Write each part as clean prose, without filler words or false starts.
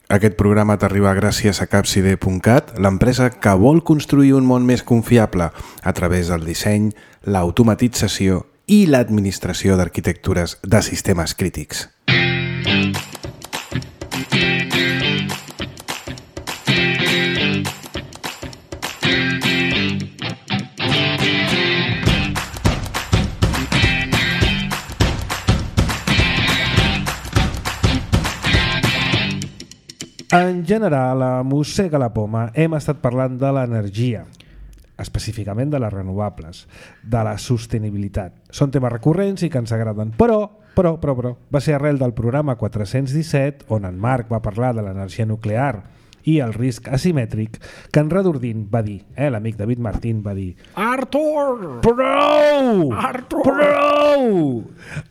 Aquest programa t'arriba gràcies a Capcide.cat, l'empresa que vol construir un món més confiable a través del disseny, l'automatització i l'administració d'arquitectures de sistemes crítics. En general, a Mossega la Poma hem estat parlant de l'energia, específicament de les renovables, de la sostenibilitat. Són temes recurrents i que ens agraden, però va ser arrel del programa 417, on en Marc va parlar de l'energia nuclear i el risc asimètric, que en Redordín va dir, l'amic David Martín va dir: Artur! Prou!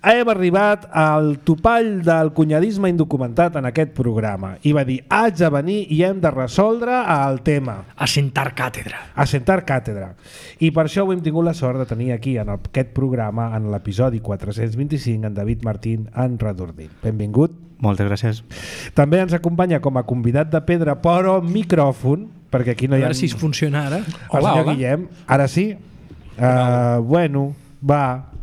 Hem arribat al topall del cunyadisme indocumentat en aquest programa. I va dir, haig de venir i hem de resoldre el tema. Assentar càtedra. I per això ho hem tingut la sort de tenir aquí en aquest programa, en l'episodi 425, en David Martín en Redordín. Benvingut. Moltes gràcies. També ens acompanya com a convidat de pedra, però amb micròfon, perquè aquí no hi ha... A veure si funciona ara. El senyor Guillem, ara sí. Bueno, va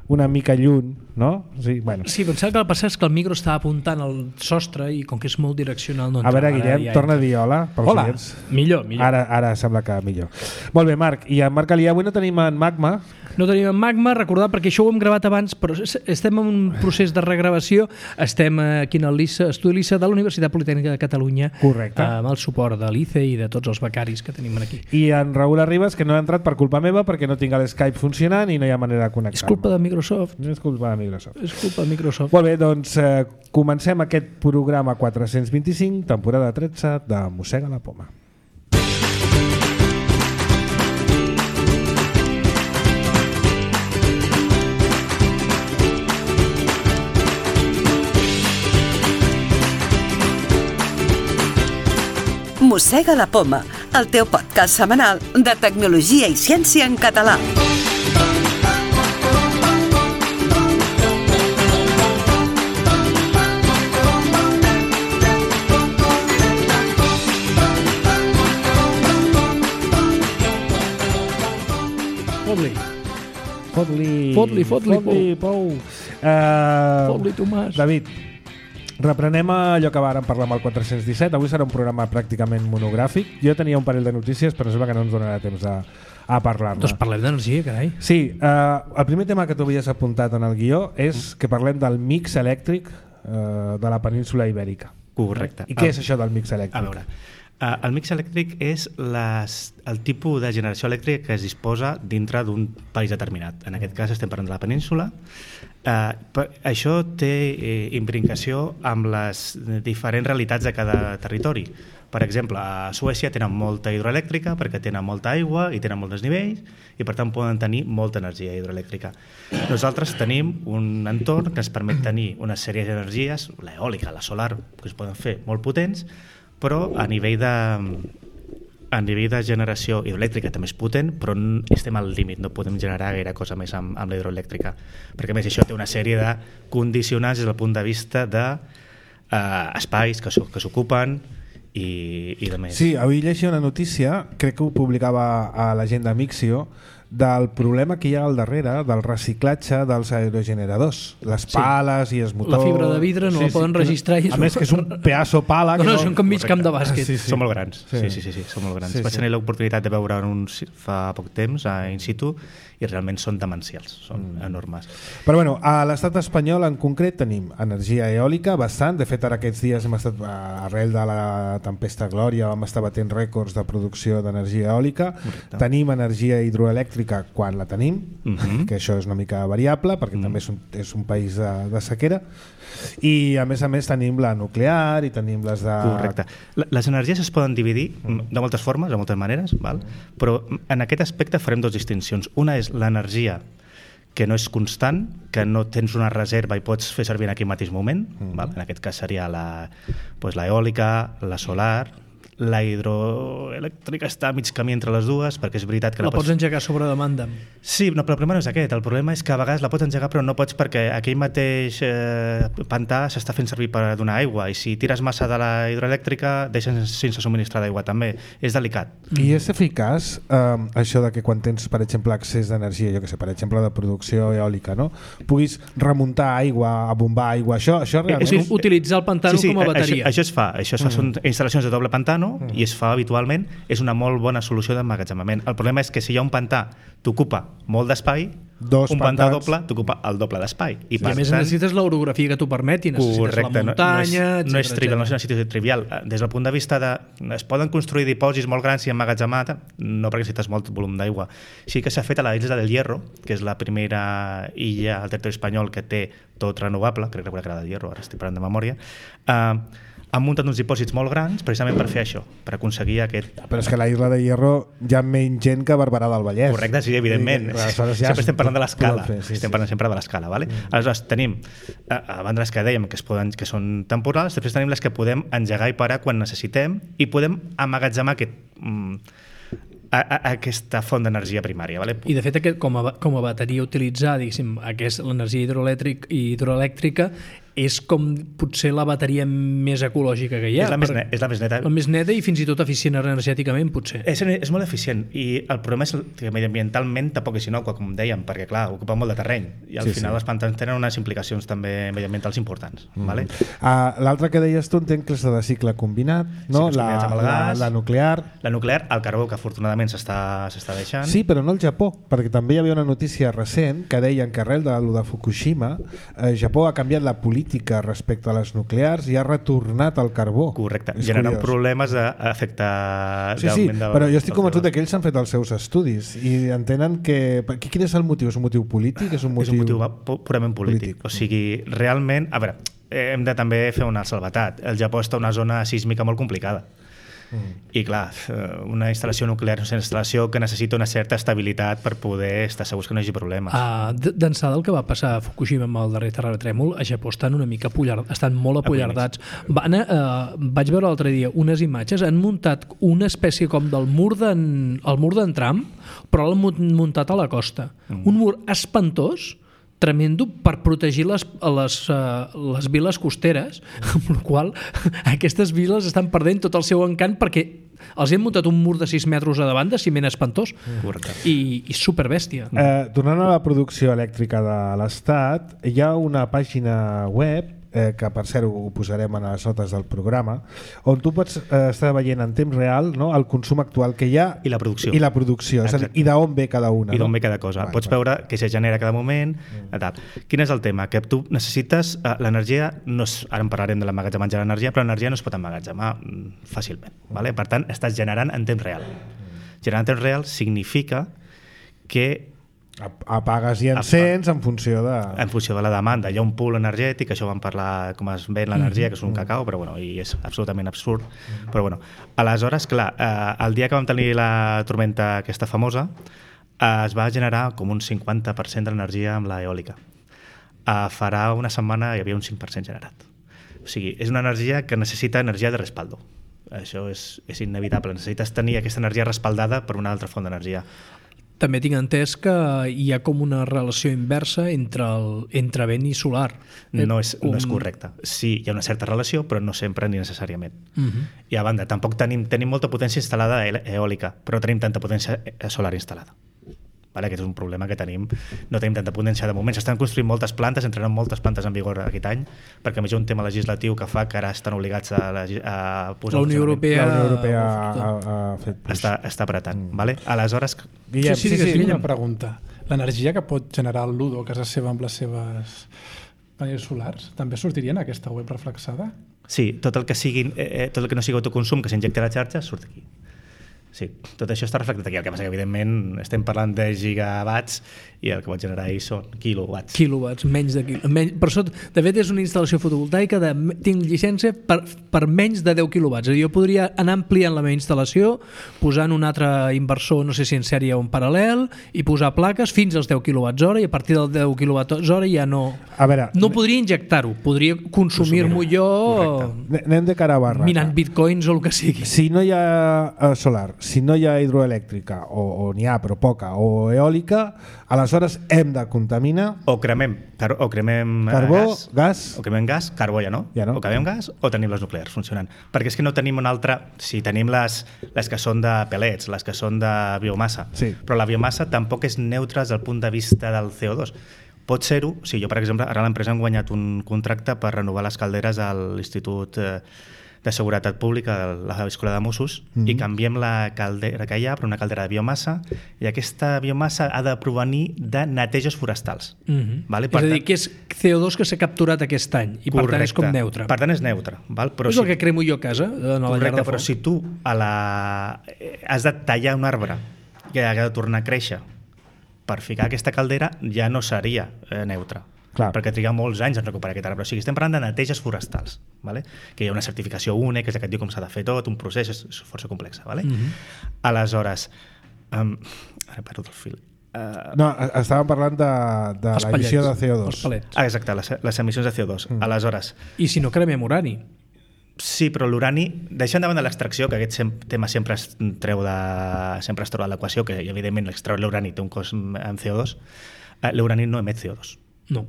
una mica lluny, no? Sí, bueno. Sí, pensava que el passat és que el micro estava apuntant al sostre i com que és molt direccional no entrava. A veure, Guillem, torna a dir hola. Hola, millor. Ara sembla que millor. Molt bé, Marc. I en Marc Alià avui no tenim en Magma. No tenim en Magma, recordar, perquè això ho hem gravat abans, però estem en un procés de regravació. Estem aquí en l'estudi LICE de la Universitat Politècnica de Catalunya. Correcte. Amb el suport de l'ICE i de tots els becaris que tenim aquí. I en Raül Arribas, que no ha entrat per culpa meva, perquè no tinc l'Skype funcionant i no hi ha manera de connectar-me. És culpa de Microsoft. És culpa de Microsoft. És culpa de Microsoft. Molt bé, doncs comencem aquest programa 425, temporada 13 de Mossega la Poma. Mossega la Poma, el teu podcast setmanal de tecnologia i ciència en català. Fot-li, Pou. Fot-li, Tomàs. David, reprenem allò que vàrem parlar amb el 417. Avui serà un programa pràcticament monogràfic. Jo tenia un parell de notícies, però sembla que no ens donarà temps a parlar-ne. Doncs parlem d'energia, carai. Sí, el primer tema que tu havies apuntat en el guió és que parlem del mix elèctric de la península Ibèrica. Correcte. I què és això del mix elèctric? A veure, el mix elèctric és el tipus de generació elèctrica que es disposa dintre d'un país determinat. En aquest cas estem parlant de la península. Això té imbricació amb les diferents realitats de cada territori. Per exemple, a Suècia tenen molta hidroelèctrica perquè tenen molta aigua i tenen molts desnivells i per tant poden tenir molta energia hidroelèctrica. Nosaltres tenim un entorn que ens permet tenir una sèrie d'energies, l'eòlica, la solar, que es poden fer molt potents, però a nivell de generació hidroelèctrica també és potent, però estem al límit, no podem generar gaire cosa més amb la hidroelèctrica, perquè a més això té una sèrie de condicionants des del punt de vista d'espais que s'ocupen i de més. Sí, avui llegia una notícia, crec que ho publicava a l'agenda Mixio, del problema que hi ha al darrere del reciclatge dels aerogeneradors, les pales i els motors. La fibra de vidre no la poden registrar. A més que és un pedaço pala. No, són com mig camp de bàsquet. Són molt grans. Sí, són molt grans. Vaig tenir l'oportunitat de veure uns fa poc temps in situ i realment són demencials, són enormes. Però bueno, a l'estat espanyol en concret tenim energia eòlica bastant. De fet, ara aquests dies hem estat, arrel de la tempesta Glòria, vam estar batent rècords de producció d'energia eòlica. Correcte. Tenim energia hidroelèctrica quan la tenim, que això és una mica variable perquè també és un país de sequera, i a més tenim la nuclear i tenim les de... Correcte. Les energies es poden dividir de moltes formes, de moltes maneres, val? Però en aquest aspecte farem dues distincions. Una és l'energia que no és constant, que no tens una reserva i pots fer servir en aquell mateix moment, val? En aquest cas seria l'eòlica, la solar, La hidroelèctrica està a mig camí entre les dues, perquè és veritat que La pots engegar sobre demanda. Sí, no, però el problema no és aquest. El problema és que a vegades la pots engegar però no pots perquè aquell mateix pantà s'està fent servir per donar aigua i si tires massa de la hidroelèctrica deixen sense subministrar d'aigua també. És delicat. I és eficaç això de que quan tens, per exemple, accés d'energia, jo que sé, per exemple, de producció eòlica, no? Puguis remuntar aigua, abombar aigua, això realment... És utilitzar el pantano com a bateria. Això es fa. Són instal·lacions de doble pantano i es fa habitualment. És una molt bona solució d'emmagatzemament. El problema és que si hi ha un pantà t'ocupa molt d'espai, un pantà doble t'ocupa el doble d'espai. I a més necessites l'orografia que t'ho permeti, necessites la muntanya, no és trivial, no és una situació trivial. Des del punt de vista de... Es poden construir dipòsits molt grans i emmagatzemar, no perquè necessites molt volum d'aigua. Sí que s'ha fet a la isla del Hierro, que és la primera illa al territori espanyol que té tot renovable, crec que era del Hierro, ara estic parlant de memòria, han muntat uns dipòsits molt grans precisament per fer això, per aconseguir aquest... Però és que a la isla de Hierro hi ha menys gent que a Barberà del Vallès. Correcte, sí, evidentment. Sempre estem parlant de l'escala. Estem parlant sempre de l'escala, ¿vale? Aleshores, tenim, a banda les que dèiem que són temporals, després tenim les que podem engegar i parar quan necessitem i podem emmagatzemar aquesta font d'energia primària. ¿Vale? I de fet com a bateria utilitzar l'energia hidroelèctrica és com potser la bateria més ecològica que hi ha. És la més neta. La més neta i fins i tot eficient energèticament, potser. És molt eficient i el problema és que mediambientalment tampoc és innocua, com dèiem, perquè clar, ocupa molt de terreny i al final els pantans tenen unes implicacions també mediambientals importants. Vale? L'altre que deies tu entenc que és de cicle combinat, no? Sí, la nuclear. La nuclear, el carbó, que afortunadament s'està deixant. Sí, però no el Japó, perquè també hi havia una notícia recent que deien que arrel de Fukushima, Japó ha canviat la política respecte a les nuclears i ha retornat al carbó. Correcte, generant problemes d'efecte d'augment de... Però jo estic convençut que ells han fet els seus estudis i entenen que... Quin és el motiu? És un motiu polític? És un motiu purament polític. O sigui, realment... A veure, hem de també fer una salvetat. El Japó està en una zona sísmica molt complicada. I clar, una instal·lació nuclear és una instal·lació que necessita una certa estabilitat per poder estar segurs que no hi hagi problemes. D'ençà del que va passar a Fukushima amb el darrer terratrèmol, a Japó estan una mica estan molt apollardats. Vaig veure l'altre dia unes imatges, han muntat una espècie com del mur d'en Trump, però l'han muntat a la costa. Un mur espantós, tremendo, per protegir les viles costeres, amb la qual aquestes viles estan perdent tot el seu encant perquè els hem muntat un mur de 6 metres a davant de ciment espantós i superbèstia. Tornant a la producció elèctrica de l'Estat, hi ha una pàgina web que per cert ho posarem a les notes del programa, on tu pots estar veient en temps real, no, el consum actual que hi ha i la producció, és a dir, i d'on ve cada una. I d'on ve cada cosa. Pots veure què se genera cada moment. Quin és el tema? Que tu necessites l'energia, ara en parlarem de l'emmagatzematge de l'energia, però l'energia no es pot emmagatzemar fàcilment. Vale? Per tant, estàs generant en temps real. Generar en temps real significa que apagues i encens en funció de la demanda. Hi ha un pool energètic, això vam parlar com es ven l'energia, que és un cacau, però bueno, i és absolutament absurd. Però bueno, aleshores, clar, el dia que vam tenir la tormenta aquesta famosa, es va generar com un 50% de l'energia amb l'eòlica. Farà una setmana hi havia un 5% generat. O sigui, és una energia que necessita energia de respaldo. Això és inevitable. Necessites tenir aquesta energia respaldada per una altra font d'energia. També tinc entès que hi ha com una relació inversa entre vent i solar. No és correcte. Sí, hi ha una certa relació, però no sempre ni necessàriament. I a banda, tampoc tenim molta potència instal·lada eòlica, però tenim tanta potència solar instal·lada. Aquest és un problema que tenim. No tenim tanta potència de moment. S'estan construint moltes plantes, entraran moltes plantes en vigor aquest any, perquè a més hi ha un tema legislatiu que fa que ara estan obligats a posar... La Unió Europea ha fet... Està apretant. Aleshores... Guillem, sí, una pregunta. L'energia que pot generar el Ludo a casa seva amb les seves panells solars també sortiria en aquesta web reflexada? Sí, tot el que no sigui autoconsum que s'injecta a la xarxa surt aquí. Sí, tot això està reflectit aquí. El que passa que, evidentment, estem parlant de gigawatts i el que pot generar ahir són kilowatts. Kilowatts, menys de per sota, de fet, és una instal·lació fotovoltaica tinc llicència per menys de 10 quilowatts. Jo podria anar ampliant la meva instal·lació, posant un altre inversor, no sé si en sèrie o en paral·lel, i posar plaques fins als 10 quilowatts hora, i a partir dels 10 quilowatts hora ja no... A veure, no podria injectar-ho, podria consumir-m'ho jo... Anem de cara a barra. Minant bitcoins o el que sigui. Si no hi ha solar, si no hi ha hidroelèctrica, o n'hi ha però poca, o eòlica, aleshores hem de contaminar... O cremem carbó, gas... O cremem gas, carbó ja no. O cremem gas o tenim les nuclears funcionant. Perquè és que no tenim una altra... Si tenim les que són de pellets, les que són de biomassa, sí. Però la biomassa tampoc és neutra des del punt de vista del CO2. Pot ser-ho, si jo, per exemple, ara a l'empresa hem guanyat un contracte per renovar les calderes a l'Institut de Seguretat Pública de la Escola de Mossos i canviem la caldera que hi ha per una caldera de biomassa, i aquesta biomassa ha de provenir de neteges forestals. Vale? És a dir, que és CO2 que s'ha capturat aquest any i per tant és com neutre. Per tant és neutre. Val? Però és el que cremo jo a casa, a la llar de foc. Però si tu has de tallar un arbre que ha de tornar a créixer per ficar aquesta caldera, ja no seria neutre. Clar. Perquè triga molts anys en recuperar aquest arbre. O sigui, estem parlant de neteges forestals, vale? Que hi ha una certificació única, que és la que et diu com s'ha de fer tot, un procés, és força complex. Vale? Aleshores, ara perdo el fil. No, estàvem parlant de l'emissió de CO2. Els palets. Exacte, les emissions de CO2. Aleshores... I si no cremem urani? Sí, però l'urani, deixant davant de l'extracció, que aquest tema sempre es troba de l'equació, que evidentment l'extreure l'urani té un cost en CO2, l'urani no emet CO2. No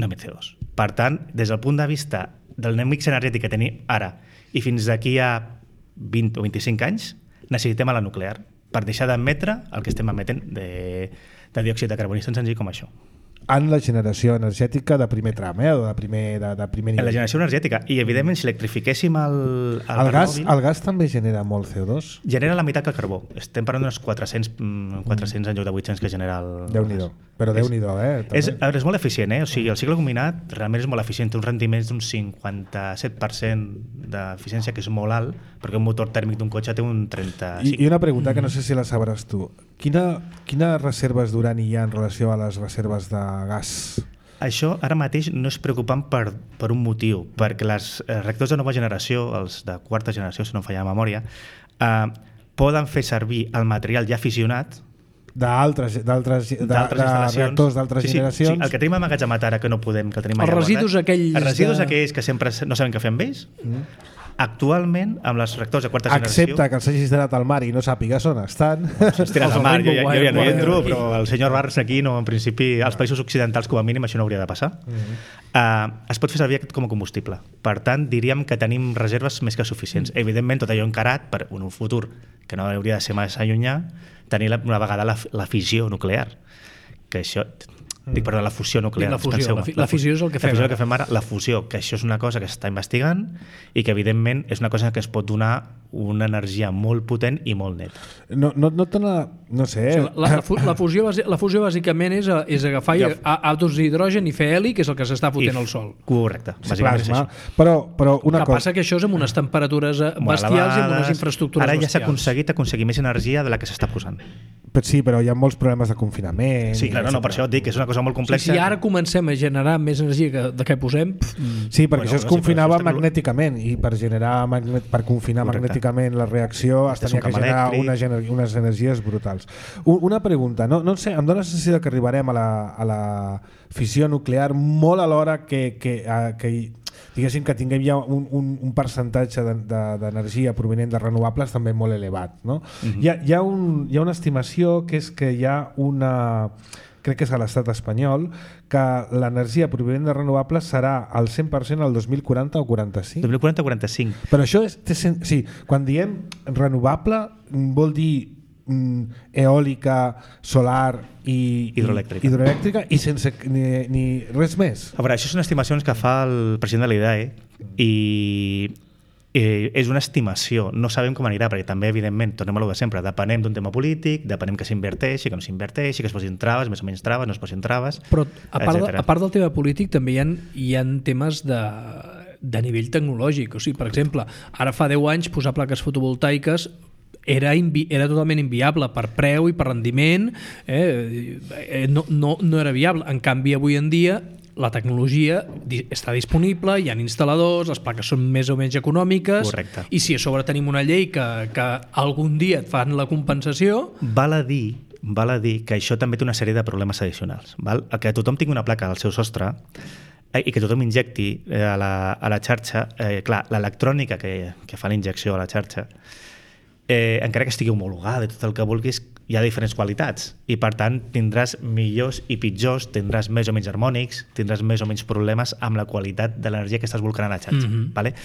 emet CO2. Per tant, des del punt de vista del mix energètic que tenim ara i fins d'aquí a 20 o 25 anys, necessitem a la nuclear per deixar d'emetre el que estem emetent de diòxid de carboni, tan senzill com això. En la generació energètica de primer tram, o de primer nivell. En la generació energètica. I, evidentment, si electrifiquéssim el gas també genera molt CO2? Genera la meitat que el carbó. Estem parlant d'uns 400 en lloc de 800 que genera el Déu-n'hi-do. Però Déu-n'hi-do, És molt eficient, O sigui, el cicle combinat realment és molt eficient. Té uns rendiments d'un 57% d'eficiència, que és molt alt, perquè un motor tèrmic d'un cotxe té un 35%. I una pregunta que no sé si la sabràs tu. Quines reserves d'urani hi ha en relació a les reserves de gas? Això ara mateix no és preocupant per un motiu, perquè els reactors de nova generació, els de quarta generació, si no em falla la memòria, poden fer servir el material ja fissionat d'altres reactors d'altres generacions. Sí, el que tenim amagatzemat ara, que no podem, que el tenim els residus aquells que sempre no sabem què fer amb ells, actualment, amb els reactors de quarta generació... Excepte que els hagis donat al mar i no sàpigues on estan. Si es tiren al mar, jo ja no hi entro, però el senyor Barrs aquí, en principi, als països occidentals, com a mínim, això no hauria de passar. Es pot fer servir aquest com a combustible. Per tant, diríem que tenim reserves més que suficients. Evidentment, tot allò encarat per un futur que no hauria de ser massa allunyà, tenir una vegada la fissió nuclear. Que això... Dic, perdó, la fusió nuclear. La fusió és el que fem. La fusió que fem ara, la fusió, que això és una cosa que s'està investigant i que, evidentment, és una cosa que es pot donar una energia molt potent i molt neta. No sé... La fusió bàsicament és agafar àtoms d'hidrogen i fer heli, que és el que s'està fotent al sol. Correcte, bàsicament és això. Però una cosa... Passa que això és amb unes temperatures bestials i amb unes infraestructures bestials. Ara ja s'ha aconseguit aconseguir més energia de la que s'està posant. Sí, però hi ha molts problemes de confinament. Sí, clar, per això et dic que és una cosa molt complexa. Si ara comencem a generar més energia que posem... Sí, perquè això es confinava magnèticament i per confinar magnèticament la reacció es tenia que generar unes energies brutals. Una pregunta, no sé, em dóna la sensació que arribarem a la fissió nuclear molt a l'hora que diguéssim que tinguem ja un percentatge d'energia provenent de renovables també molt elevat, no? Hi ha una estimació que és que hi ha crec que és a l'estat espanyol, que l'energia provenent de renovables serà al 100% al 2040 o 45. 2040 o 45. Però això sí, quan diem renovable vol dir eòlica, solar i hidroelèctrica i sense ni res més. A veure, això són estimacions que fa el president de l'IDAE i és una estimació, no sabem com anirà, perquè també, evidentment, tornem a lo de sempre, depenem d'un tema polític, depenem que s'inverteixi, que no s'inverteixi, que es posin traves, més o menys traves, no es posin traves... Però a part del tema polític també hi ha temes de nivell tecnològic. O sigui, per exemple, ara fa 10 anys posar plaques fotovoltaiques era totalment inviable per preu i per rendiment, no era viable. En canvi, avui en dia la tecnologia està disponible, hi ha instal·ladors, les plaques són més o menys econòmiques. Correcte. I si a sobre tenim una llei que algun dia et fan la compensació... Val a dir que això també té una sèrie de problemes addicionals. Val? El que tothom tingui una placa al seu sostre i que tothom injecti a la xarxa, clar, l'electrònica que fa la injecció a la xarxa, encara que estigui homologada i tot el que vulguis, hi ha diferents qualitats i per tant tindràs millors i pitjors, tindràs més o menys harmònics, tindràs més o menys problemes amb la qualitat de l'energia que estàs volcant a la xarxa. Vale?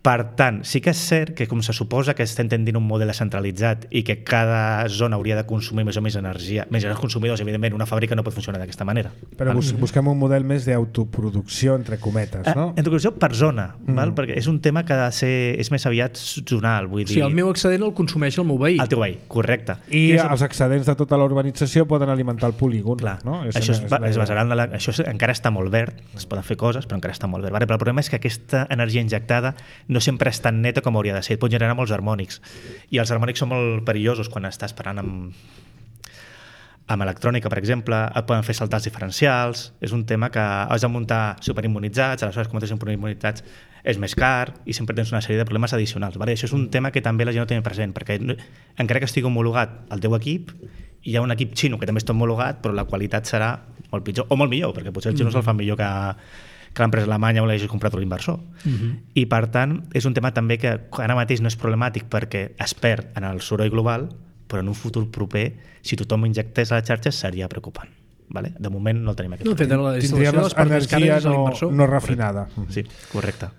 Per tant, sí que és cert que com se suposa que estem tendint un model centralitzat i que cada zona hauria de consumir més o menys energia, més els consumidors, evidentment, una fàbrica no pot funcionar d'aquesta manera. Però busquem un model més d'autoproducció, entre cometes, no? Autoproducció per zona, val? Perquè és un tema que ha de ser, és més aviat zonal. Vull dir... Sí, el meu excedent el consumeix el meu veí. El teu veí, correcte. I els excedents de tota la urbanització poden alimentar el polígon. Clar, no? això es basarà en això encara està molt verd, es poden fer coses, però encara està molt verd. Vale? Però el problema és que aquesta energia injectada no sempre és tan neta com hauria de ser, pot generar molts harmònics i els harmònics són molt perillosos quan estàs parant amb electrònica, per exemple, et poden fer saltar els diferencials, és un tema que has de muntar superimmunitzats, aleshores com tens superimmunitzats és més car i sempre tens una sèrie de problemes addicionals, vale? Això és un tema que també la gent no té present, perquè encara que estigui homologat el teu equip, hi ha un equip xino que també està homologat, però la qualitat serà molt pitjor, o molt millor, perquè potser els xinos el fan millor que l'empresa alemanya o l'hagi comprat l'inversor. I per tant, és un tema també que ara mateix no és problemàtic perquè es perd en el soroll global, però en un futur proper, si tothom injectés a la xarxa, seria preocupant. Vale? De moment no el tenim aquest problema. Tindríem energia no refinada. Sí, correcte.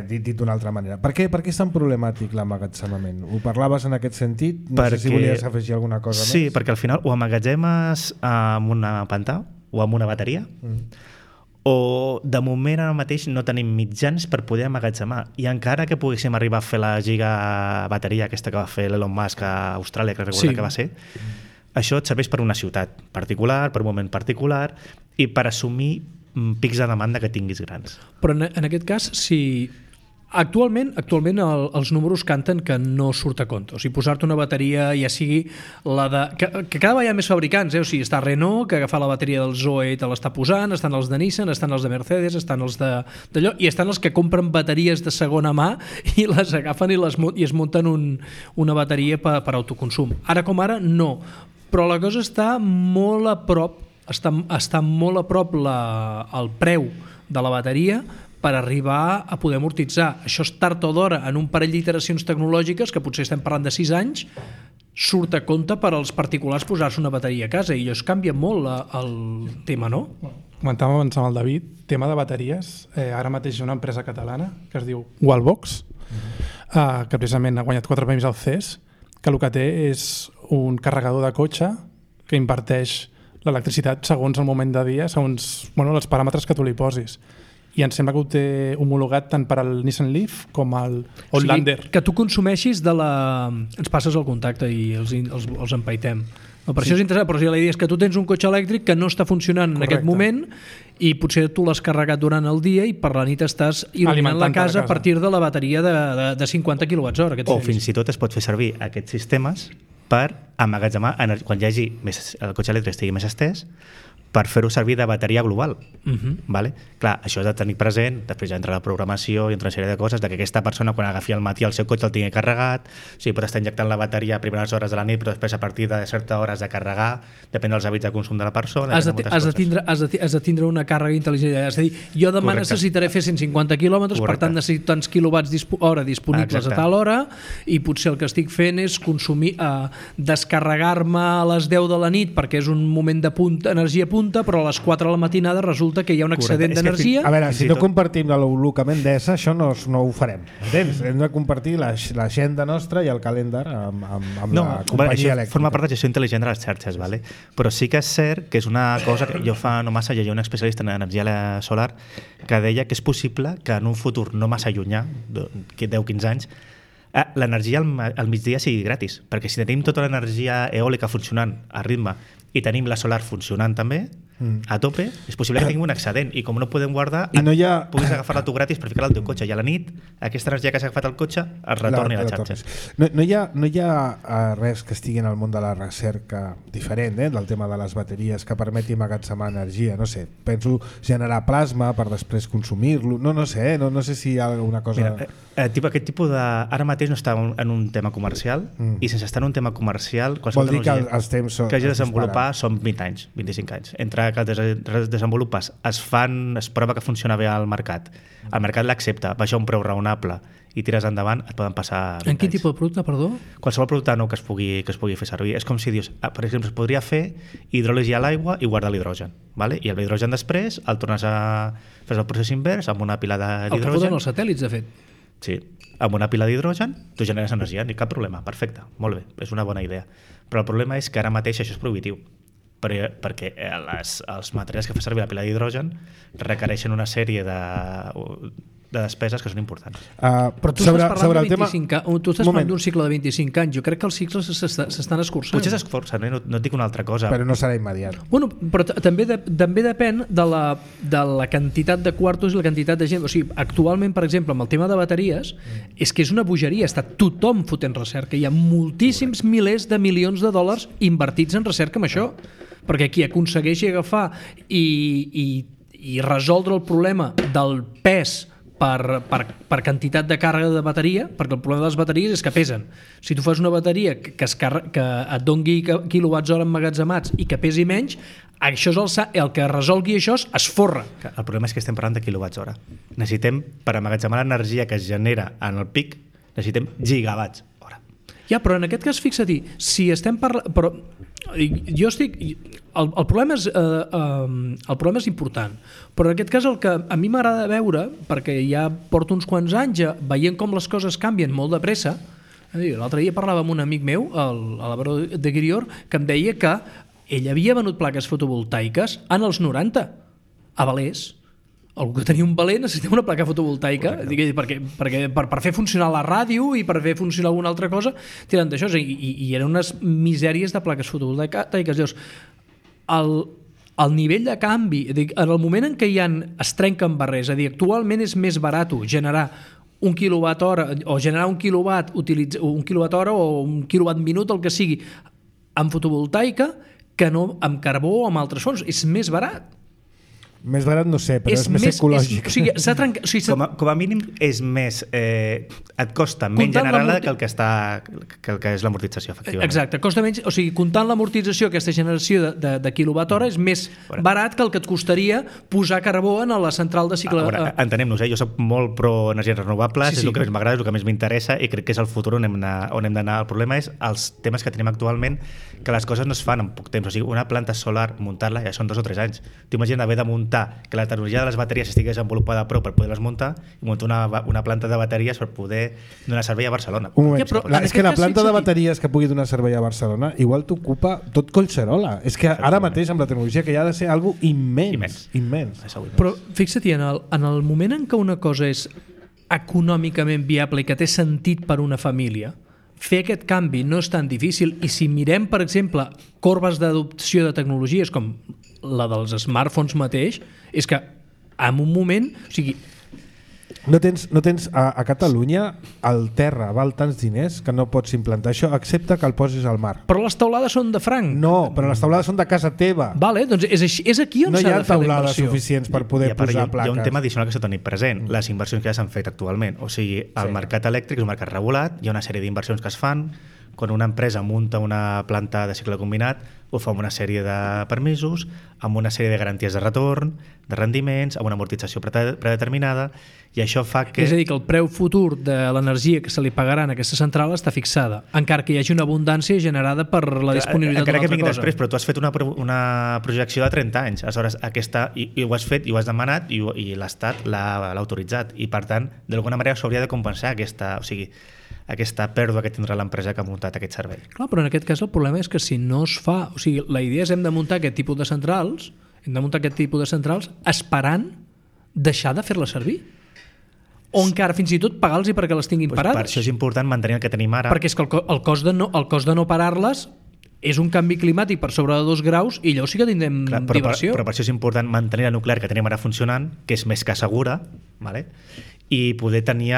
Dit d'una altra manera. Per què és tan problemàtic l'emmagatzemament? Ho parlaves en aquest sentit? No sé si volies afegir alguna cosa més. Sí, perquè al final ho emmagatzemes amb una pantà o amb una bateria, o de moment ara mateix no tenim mitjans per poder emmagatzemar, i encara que poguéssim arribar a fer la gigabateria aquesta que va fer l'Elon Musk a Austràlia, que recorda que va ser, això et serveix per una ciutat particular, per un moment particular i per assumir pics de demanda que tinguis grans. Però en aquest cas, si actualment els números canten que no surt a compte. O sigui, posar-te una bateria, ja sigui la de... Que cada vegada hi ha més fabricants, o sigui, està Renault, que agafa la bateria del Zoe i te l'està posant, estan els de Nissan, estan els de Mercedes, estan els d'allò, i estan els que compren bateries de segona mà i les agafen i es munten una bateria per autoconsum. Ara com ara, no. Però la cosa està molt a prop, està molt a prop el preu de la bateria per arribar a poder amortitzar. Això és tard o d'hora, en un parell d'iteracions tecnològiques, que potser estem parlant de 6 anys, surt a compte per als particulars posar-se una bateria a casa, i això canvia molt el tema, no? Comentàvem abans amb el David, tema de bateries, ara mateix hi ha una empresa catalana que es diu Wallbox, que precisament ha guanyat 4 premis al CES, que el que té és un carregador de cotxe que inverteix l'electricitat segons el moment de dia, segons els paràmetres que tu li posis. I em sembla que ho té homologat tant per al Nissan Leaf com al Outlander. O sigui, que tu consumeixis ens passes el contacte i els empaitem. No, per això és interessant, però si la idea és que tu tens un cotxe elèctric que no està funcionant en aquest moment i potser tu l'has carregat durant el dia i per la nit estàs il·luminant la casa a partir de la bateria de 50 kWh. O fins i tot es pot fer servir aquests sistemes per emmagatzemar quan hi hagi el cotxe elèctric estigui més estès, per fer-ho servir de bateria global. Vale? Clar, això has de tenir present, després ja entra la programació i entra una sèrie de coses, que aquesta persona quan agafi al matí el seu cotxe el tingui carregat, o sigui, pot estar injectant la bateria a primeres hores de la nit, però després a partir de certes hores de carregar, depèn dels hàbits de consum de la persona. Has de tindre una càrrega intel·ligent. És a dir, jo demà necessitaré fer 150 quilòmetres, per tant necessito tants quilowatts hora disponibles a tal hora, i potser el que estic fent és consumir, descarregar-me a les 10 de la nit perquè és un moment de energia punta, però a les 4 de la matinada resulta que hi ha un excedent d'energia. A veure, si no compartim l'abocament d'ESA, això no ho farem. Entens? Hem de compartir l'agenda nostra i el calendar amb la companyia elèctrica. Forma part de gestió intel·ligent de les xarxes, vale? Però sí que és cert que és una cosa que jo fa no massa llegia un especialista en energia solar que deia que és possible que en un futur no massa llunyà, 10-15 anys, l'energia al migdia sigui gratis, perquè si tenim tota l'energia eòlica funcionant a ritme i tenim la solar funcionant també, a tope, és possible que tingui un excedent i com no podem guardar, I no hi ha... puguis agafar-la tu gratis per ficar-la al teu cotxe i a la nit aquesta energia que s'ha agafat al cotxe es retorni a la xarxa. No hi ha res que estigui en el món de la recerca diferent del tema de les bateries que permeti emmagatzemar energia, no sé, penso generar plasma per després consumir-lo, no sé si hi ha alguna cosa... Mira, aquest tipus de... Ara mateix no està en un tema comercial i sense estar en un tema comercial vol dir que els temps que hagi de desenvolupar són 20 anys, 25 anys. Entre que es desenvolupes, es prova que funciona bé al mercat, el mercat l'accepta, baixa un preu raonable i tires endavant, et poden passar 20 En quin anys. tipus de producte, perdó? Qualsevol producte nou que es pugui fer servir. És com si dius, per exemple, es podria fer hidròlisi a l'aigua i guardar l'hidrogen, vale? I el hidrogen després el tornes a fer el procés invers amb una pila El que d'hidrogen. foten els satèl·lits, de fet. Sí, amb una pila d'hidrogen tu generes energia, ni cap problema, perfecte, molt bé, és una bona idea. Però el problema és que ara mateix això és prohibitiu, perquè els materials que fa servir la pila d'hidrogen requereixen una sèrie de despeses que són importants. Però tu estàs parlant de 25 anys, tu estàs parlant d'un cicle de 25 anys. Jo crec que els cicles s'estan escurçant. Potser s'esforcen, no et dic una altra cosa. Però no serà immediat. Bueno, però també depèn de la quantitat de quartos i la quantitat de gent. O sigui, actualment, per exemple, amb el tema de bateries, és que és una bogeria. Està tothom fotent recerca. Hi ha moltíssims milers de milions de dòlars invertits en recerca amb això. Perquè qui aconsegueixi agafar i resoldre el problema del pes per quantitat de càrrega de bateria, perquè el problema de les bateries és que pesen. Si tu fas una bateria que et doni quilowatts hora emmagatzemats i que pesi menys, això és el que resolgui això es forra. El problema és que estem parlant de quilowatts hora. Necessitem, per emmagatzemar l'energia que es genera en el pic, necessitem gigawatts hora. Ja, però en aquest cas, fixa-t'hi, si estem parlant... Però jo estic... El problema és important, però en aquest cas el que a mi m'agrada veure, perquè ja porto uns quants anys veient com les coses canvien molt de pressa. L'altre dia parlava amb un amic meu, l'Alvaro de Guirior, que em deia que ell havia venut plaques fotovoltaiques en els 90 a Valés. Algú que tenia un Valer necessitava una placa fotovoltaica perquè per fer funcionar la ràdio i per fer funcionar alguna altra cosa tirant d'això, i eren unes misèries de plaques fotovoltaiques. Llavors, el nivell de canvi, en el moment en què es trenquen barrers, és a dir, actualment és més barat generar un quilowatt hora o generar un quilowatt hora o un quilowatt minut, el que sigui, amb fotovoltaica que no amb carbó o amb altres fonts. És més barat. Més barat no sé, però és més ecològic. Com a mínim és més... et costa menys generar que el que és l'amortització, efectivament. Exacte, costa menys, o sigui, comptant l'amortització, aquesta generació de quilowatt hora és més barat que el que et costaria posar carbó en la central de cicle... Entenem-nos, jo soc molt pro energies renovables, és el que més m'agrada, és el que més m'interessa i crec que és el futur on hem d'anar. El problema és els temes que tenim actualment, que les coses no es fan en poc temps. O sigui, una planta solar, muntar-la ja són 2 o 3 anys. T'imagines haver de muntar que la tecnologia de les bateries estigui desenvolupada prou per poder-les muntar i muntar una planta de bateries per poder donar servei a Barcelona. Un moment, és que la planta de bateries que pugui donar servei a Barcelona igual t'ocupa tot Collserola. És que ara mateix amb la tecnologia que hi ha de ser algo immens. Però fixa't, en el moment en què una cosa és econòmicament viable i que té sentit per una família, fer aquest canvi no és tan difícil. I si mirem, per exemple, corbes d'adopció de tecnologies com la dels smartphones mateix, és que en un moment... O sigui, no tens a Catalunya el terra val tants diners que no pots implantar això, excepte que el posis al mar. Però les taulades són de franc. No, però les taulades són de casa teva. Vale, doncs és aquí on s'ha de fer la inversió. No hi ha taulades suficients per poder posar plaques. Hi ha un tema addicional que s'ha de tenir present, les inversions que ja s'han fet actualment. O sigui, el mercat elèctric és un mercat regulat, hi ha una sèrie d'inversions que es fan, quan una empresa munta una planta de cicle combinat, ho fa amb una sèrie de permisos, amb una sèrie de garanties de retorn, de rendiments, amb una amortització predeterminada, i això fa que... És a dir, que el preu futur de l'energia que se li pagarà en aquesta central està fixada, encara que hi hagi una abundància generada per la disponibilitat d'una altra cosa. Encara que vingui després, però tu has fet una projecció de 30 anys, aleshores i ho has fet, i ho has demanat, i l'Estat l'ha autoritzat, i per tant, d'alguna manera s'hauria de compensar aquesta pèrdua que tindrà l'empresa que ha muntat aquest servei. Clar, però en aquest cas el problema és que si no es fa... O sigui, la idea és hem de muntar aquest tipus de centrals, esperant deixar de fer-les servir. O encara fins i tot pagar-los perquè les tinguin parades. Per això és important mantenir el que tenim ara. Perquè és que el cost de no parar-les és un canvi climàtic per sobre de 2 graus i llavors sí que tindrem diversió. Però per això és important mantenir la nuclear que tenim ara funcionant, que és més que segura, vale? i poder tenir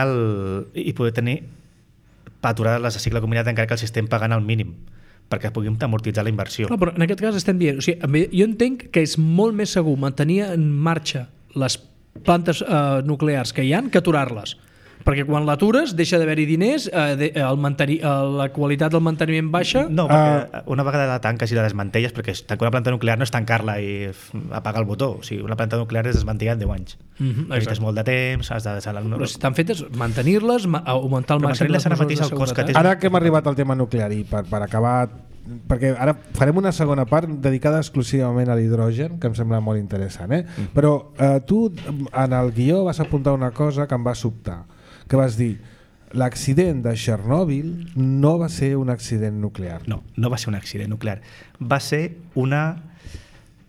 aturades les de cicle combinat encara que els estem pagant al mínim perquè puguem amortitzar la inversió. Clar, però en aquest cas estem dient, o sigui, jo entenc que és molt més segur mantenir en marxa les plantes nuclears que hi ha que aturar-les. Perquè quan l'atures deixa d'haver-hi diners, la qualitat del manteniment baixa... No, perquè una vegada la tanques i la desmantelles, perquè tancar una planta nuclear no és tancar-la i apagar el botó. O sigui, una planta nuclear és desmantellar en 10 anys. Necessites molt de temps, has de... Però si estan fetes, mantenir-les, augmentar el màxim les mesures de seguretat. Ara que hem arribat al tema nuclear i per acabar... perquè ara farem una segona part dedicada exclusivament a l'hidrogen, que em sembla molt interessant, però tu en el guió vas apuntar una cosa que em va sobtar, que vas dir l'accident de Chernobyl no va ser un accident nuclear. No va ser un accident nuclear. Va ser una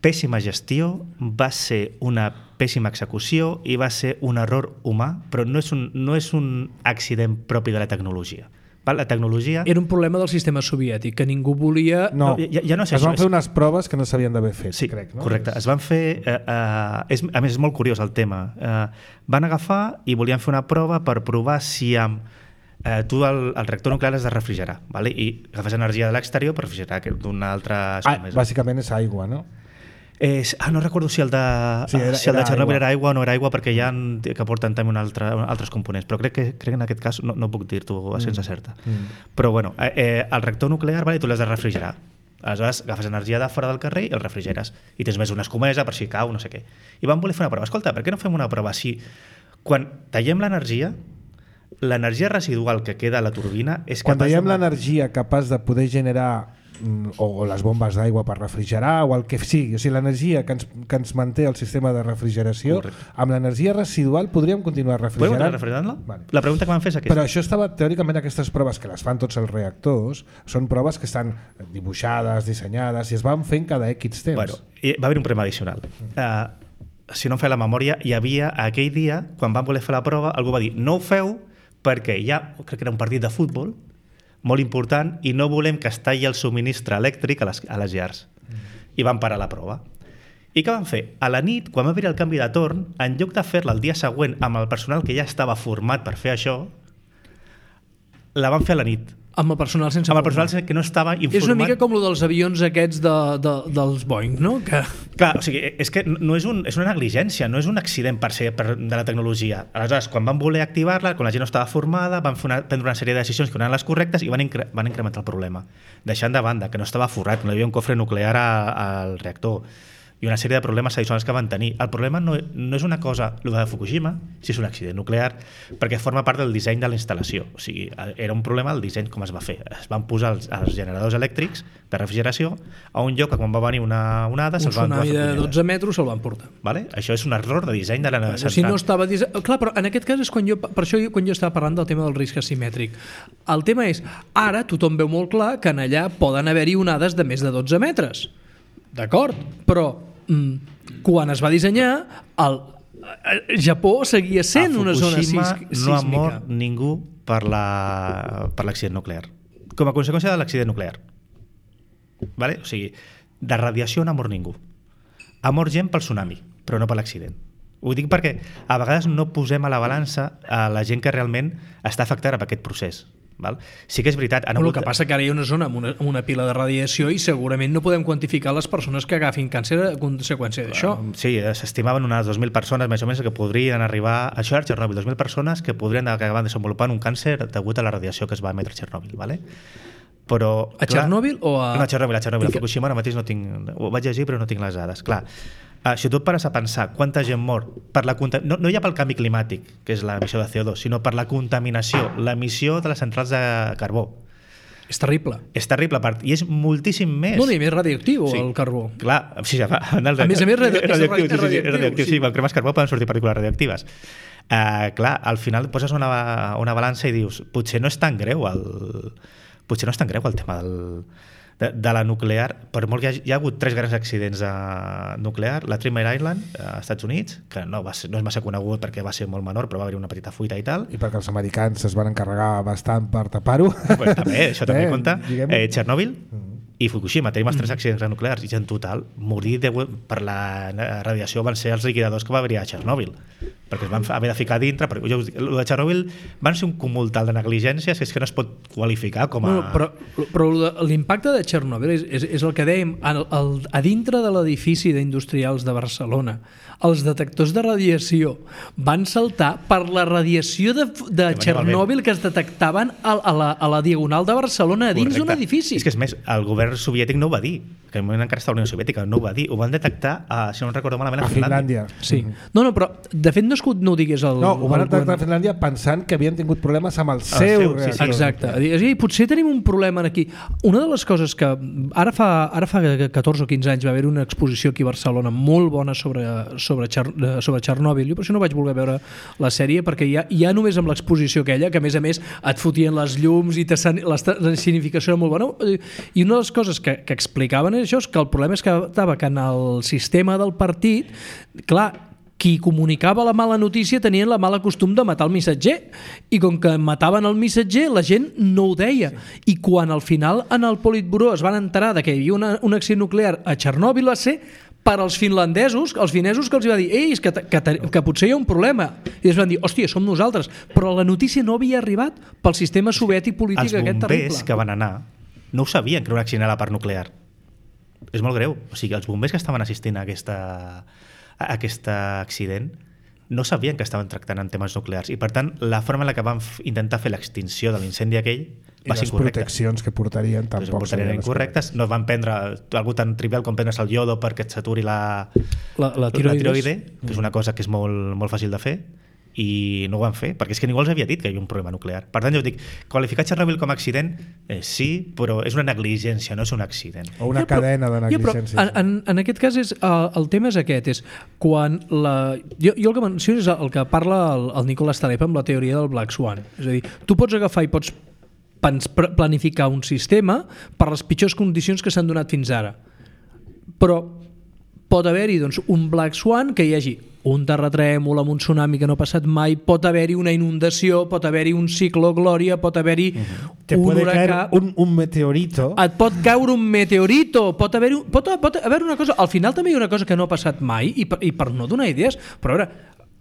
pèssima gestió, va ser una pèssima execució i va ser un error humà, però no és un accident propi de la tecnologia. La tecnologia... Era un problema del sistema soviètic, que ningú volia... No, ja no sé, es van fer unes proves que no s'havien d'haver fet, sí, crec. No? Correcte, es van fer... a més, és molt curiós el tema. Van agafar i volien fer una prova per provar si tu el reactor nuclear has de refrigerar, vale? I agafes energia de l'exterior per refrigerar d'una altra... Bàsicament és aigua, no? No recordo si el de Chernobyl era aigua o no era aigua, perquè hi ha que porten també altres components, però crec que en aquest cas no puc dir-t'ho a sense certa. Però bueno, el reactor nuclear, vale, tu l'has de refrigerar. Aleshores agafes energia de fora del carrer i el refrigeres i tens més una escomesa per si cau, no sé què. I van voler fer una prova. Escolta, per què no fem una prova si quan tallem l'energia residual que queda a la turbina és quan tallem l'energia capaç de poder generar o les bombes d'aigua per refrigerar o el que sigui, o sigui, l'energia que ens manté el sistema de refrigeració. Correcte. Amb l'energia residual podríem continuar refrigerant. Podem refrigerant-la? Vale. La pregunta que van fer és aquesta. Però això estava, teòricament, aquestes proves que les fan tots els reactors són proves que estan dibuixades, dissenyades i es van fent cada X temps. Bueno, va haver un problema addicional. Si no em feia la memòria, hi havia aquell dia, quan van voler fer la prova, algú va dir no ho feu perquè hi ha, crec que era un partit de futbol molt important i no volem que es talli el subministre elèctric a les llars. I van parar la prova. I què van fer? A la nit, quan va haver el canvi de torn, en lloc de fer-la el dia següent amb el personal que ja estava format per fer això, la van fer a la nit. Amb el personal sense formar. Amb el personal que no estava informat. És una mica com el dels avions aquests dels Boeing, no? Que... Clar, o sigui, és que no és una negligència, no és un accident per ser de la tecnologia. Aleshores, quan van voler activar-la, quan la gent no estava formada, van prendre una sèrie de decisions que no eren les correctes i van incrementar el problema. Deixant de banda que no estava forrat, no hi havia un cofre nuclear al reactor i una sèrie de problemes addicionals que van tenir. El problema no és una cosa, el de Fukushima, si és un accident nuclear, perquè forma part del disseny de la instal·lació. O sigui, era un problema el disseny com es va fer. Es van posar els generadors elèctrics de refrigeració a un lloc que quan va venir una onada se'ls van... Un tsunami de 12 metres se'l van portar. Vale? Això és un error de disseny de la central. Si no estava clar, però en aquest cas és quan jo estava parlant del tema del risc asimètric. El tema és, ara tothom veu molt clar que en allà poden haver-hi onades de més de 12 metres. D'acord? Però quan es va dissenyar el Japó seguia sent una zona sísmica. No ha mort ningú per l'accident nuclear com a conseqüència de l'accident nuclear, vale? O sigui, de radiació no ha mort ningú, ha mort gent pel tsunami però no per l'accident. Ho dic perquè a vegades no posem a la balança a la gent que realment està afectada per aquest procés. Val? Sí que és veritat. El que passa que ara hi ha una zona amb una pila de radiació i segurament no podem quantificar les persones que agafin càncer a conseqüència d'això. Sí, s'estimaven unes 2.000 persones més o menys que podrien arribar a això, a Chernobyl, 2.000 persones que podrien acabar desenvolupant un càncer degut a la radiació que es va emetre a Chernobyl. Vale? Però, a Chernobyl o a... No, a Chernobyl. A Fukushima ara mateix no tinc... Ho vaig llegir però no tinc les dades. Clar, si tu et pares a pensar quanta gent mor per la no ja pel canvi climàtic, que és l'emissió de CO2, sinó per la contaminació, l'emissió de les centrals de carbó. És terrible. És terrible, i és moltíssim més. No, ni més radioactiu, sí. El carbó. Clar, sí, a més és radioactiu. Sí, quan cremes carbó poden sortir partícules radioactives. Clar, al final poses una balança i dius, potser no és tan greu el tema de la nuclear, per molt que hi ha hagut 3 grans accidents nuclear, la Three Mile Island als Estats Units, que no és massa conegut perquè va ser molt menor, però va haver una petita fuita i tal. I perquè els americans es van encarregar bastant per tapar-ho. Pues també, això també compta. Chernobyl i Fukushima. Tenim els 3 accidents nuclears i en total morir per la radiació van ser els liquidadors que va haver a Txernòbil, perquè es van haver de ficar dintre. Perquè, el de Txernòbil van ser un cúmul tal de negligències que és que no es pot qualificar com a... Però l'impacte de Txernòbil és el que dèiem, a dintre de l'edifici d'industrials de Barcelona els detectors de radiació van saltar per la radiació de Txernòbil que es detectaven a la Diagonal de Barcelona a dins d'un edifici. És que és més, el govern soviètic no ho va dir, que en moment encara està la Unió Soviètica, no ho va dir, ho van detectar, si no recordo malament, a Finlàndia. Sí. No, però de fet no ho digués el... No, ho van detectar a Finlàndia pensant que havien tingut problemes amb el seu reactor. Sí. Exacte. Sí, potser tenim un problema aquí. Una de les coses que ara fa 14 o 15 anys va haver una exposició aquí a Barcelona molt bona sobre Txernòbil. Jo per això no vaig voler veure la sèrie, perquè ja només amb l'exposició aquella, que a més et fotien les llums i l'escenificació era molt bona, i una de les coses que explicaven és això, és que el problema estava que en el sistema del partit, clar, qui comunicava la mala notícia tenien la mala costum de matar el missatger, i com que mataven el missatger la gent no ho deia, i quan al final en el Politburó es van enterar de que hi havia un accident nuclear a Txernòbil va ser per als finlandesos, els finesos, que els va dir que potser hi ha un problema, i es van dir, hòstia, som nosaltres, però la notícia no havia arribat pel sistema soviètic polític aquest terrible. Els bombers que van anar no ho sabien que era un accident a la part nuclear. És molt greu. O sigui, els bombers que estaven assistint a aquest accident no sabien que estaven tractant en temes nuclears, i per tant la forma en la que van intentar fer l'extinció de l'incendi aquell va ser incorrecta. I les proteccions que portarien tampoc serien incorrectes. No van prendre algo tan trivial com prendre's el iodo perquè et saturi la tiroide, que és una cosa que és molt, molt fàcil de fer, i no ho van fer, perquè és que ningú els havia dit que hi havia un problema nuclear. Per tant, jo dic, qualificar Txernòbil com a accident, sí, però és una negligència, no és un accident. O una cadena de negligència. En aquest cas, el tema és aquest, és quan jo el que menciono és el que parla el Nicolas Taleb amb la teoria del Black Swan. És a dir, tu pots agafar i pots planificar un sistema per les pitjors condicions que s'han donat fins ara. Però pot haver-hi un Black Swan, que hi hagi un terratrèmol amb un tsunami que no ha passat mai, pot haver-hi una inundació, pot haver-hi un ciclo Glòria, pot haver-hi un huracà, un meteorito. Et pot caure un meteorito, pot haver una cosa, al final també hi ha una cosa que no ha passat mai, i per no donar idees, però ara,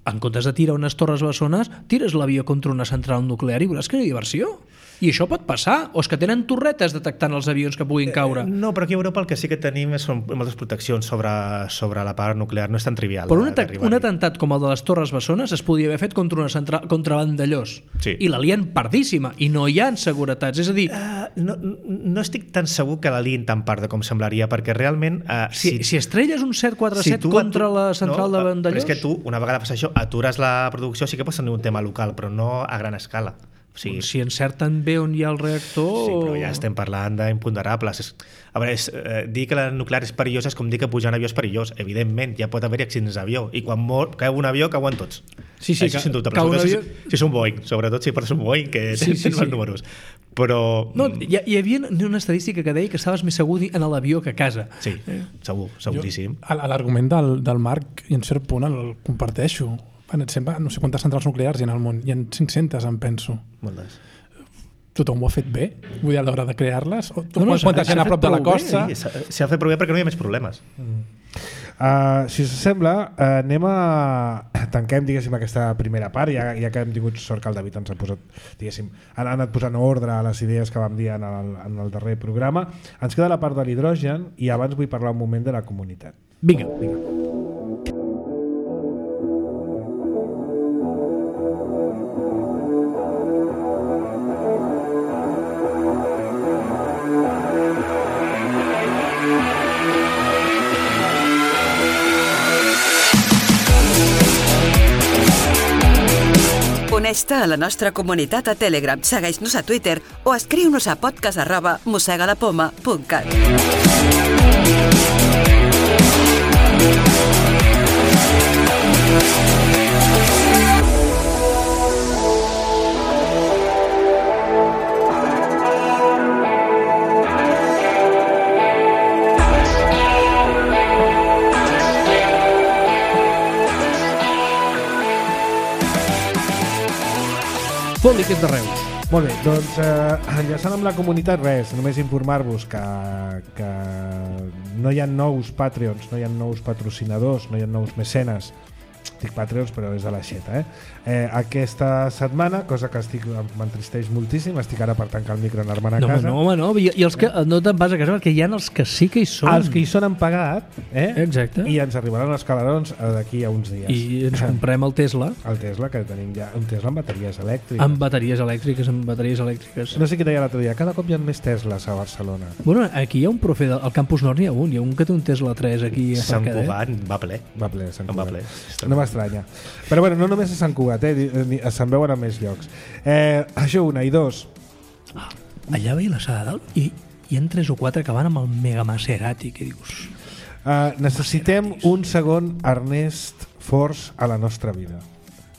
en comptes de tirar unes torres bessones, tires l'avió contra una central nuclear i veuràs que hi ha diversió. I això pot passar, o és que tenen torretes detectant els avions que puguin caure. No, però aquí a Europa el que sí que tenim són moltes proteccions sobre la part nuclear, no és tan trivial. Però un atemptat com el de les Torres Bessones es podia haver fet contra Vandellós, sí. I la lien pardíssima, i no hi ha seguretats, és a dir... No estic tan segur que la lien tan parda com semblaria, perquè realment... Si estrelles un 747 contra la central de Vandellós... Però és que tu, una vegada passa això, atures la producció, sí que pots tenir un tema local, però no a gran escala. O sigui, si encerten bé on hi ha el reactor... Sí, però ja estem parlant d'imponderables. A veure, dir que la nuclear és perillosa és com dir que pujar en avió és perillós. Evidentment, ja pot haver accidents d'avió. I quan cau un avió, cauen tots. Sí, això sin dubte. Avió... Si és un Boeing, sobretot si portes un Boeing, que tens els números. Però... No, hi havia una estadística que deia que estaves més segur en l'avió que a casa. Sí, seguríssim. L'argument del Marc, i en cert punt, el comparteixo. Sembla, no sé quantes centrals nuclears hi ha al món, hi ha 500, em penso. Moltes. Tothom ho ha fet bé? Vull dir, a l'hora de crear-les? Quantes hi ha a prop de la costa? Sí, s'ha fet prou bé perquè no hi ha més problemes. Si us sembla, tanquem, diguéssim, aquesta primera part, ja que hem tingut sort que el David ens ha posat, diguéssim, han anat posant ordre a les idees que vam dir en el darrer programa. Ens queda la part de l'hidrogen i abans vull parlar un moment de la comunitat. Vinga. Uneix-te a la nostra comunitat a Telegram, segueix-nos a Twitter o escriu-nos a podcast@mossegalapoma.cat. Foli, que és de Reus. Molt bé, doncs enllaçant amb la comunitat, res, només informar-vos que no hi ha nous Patreons, no hi ha nous patrocinadors, no hi ha nous mecenes. Dic Patreons, però és de l'aixeta, aquesta setmana, cosa que m'entristeix moltíssim, estic ara per tancar el micro i anar-me'n a casa. No. I els que no te'n vas a casa, perquè hi ha els que sí que hi són. Els que hi són han pagat, Exacte. I ens arribaran els calarons d'aquí a uns dies. I ens comprem el Tesla. El Tesla, que tenim ja, un Tesla amb bateries elèctriques. Amb bateries elèctriques. No sé qui deia l'altre dia, cada cop hi ha més Teslas a Barcelona. Bueno, aquí hi ha un profe al Campus Nord, hi ha un que té un Tesla 3 aquí a Sant Mercader. Cugat va ple. Va ple, Sant Cugat. Va ple. No m'estranya. Però bueno, no només a Sant Cugat, se'n veuen a més llocs. Això una, i dos. Allà veia la sala dalt i hi ha 3 o 4 que van amb el Mega Maserati, que dius... Necessitem un segon Ernest Force a la nostra vida.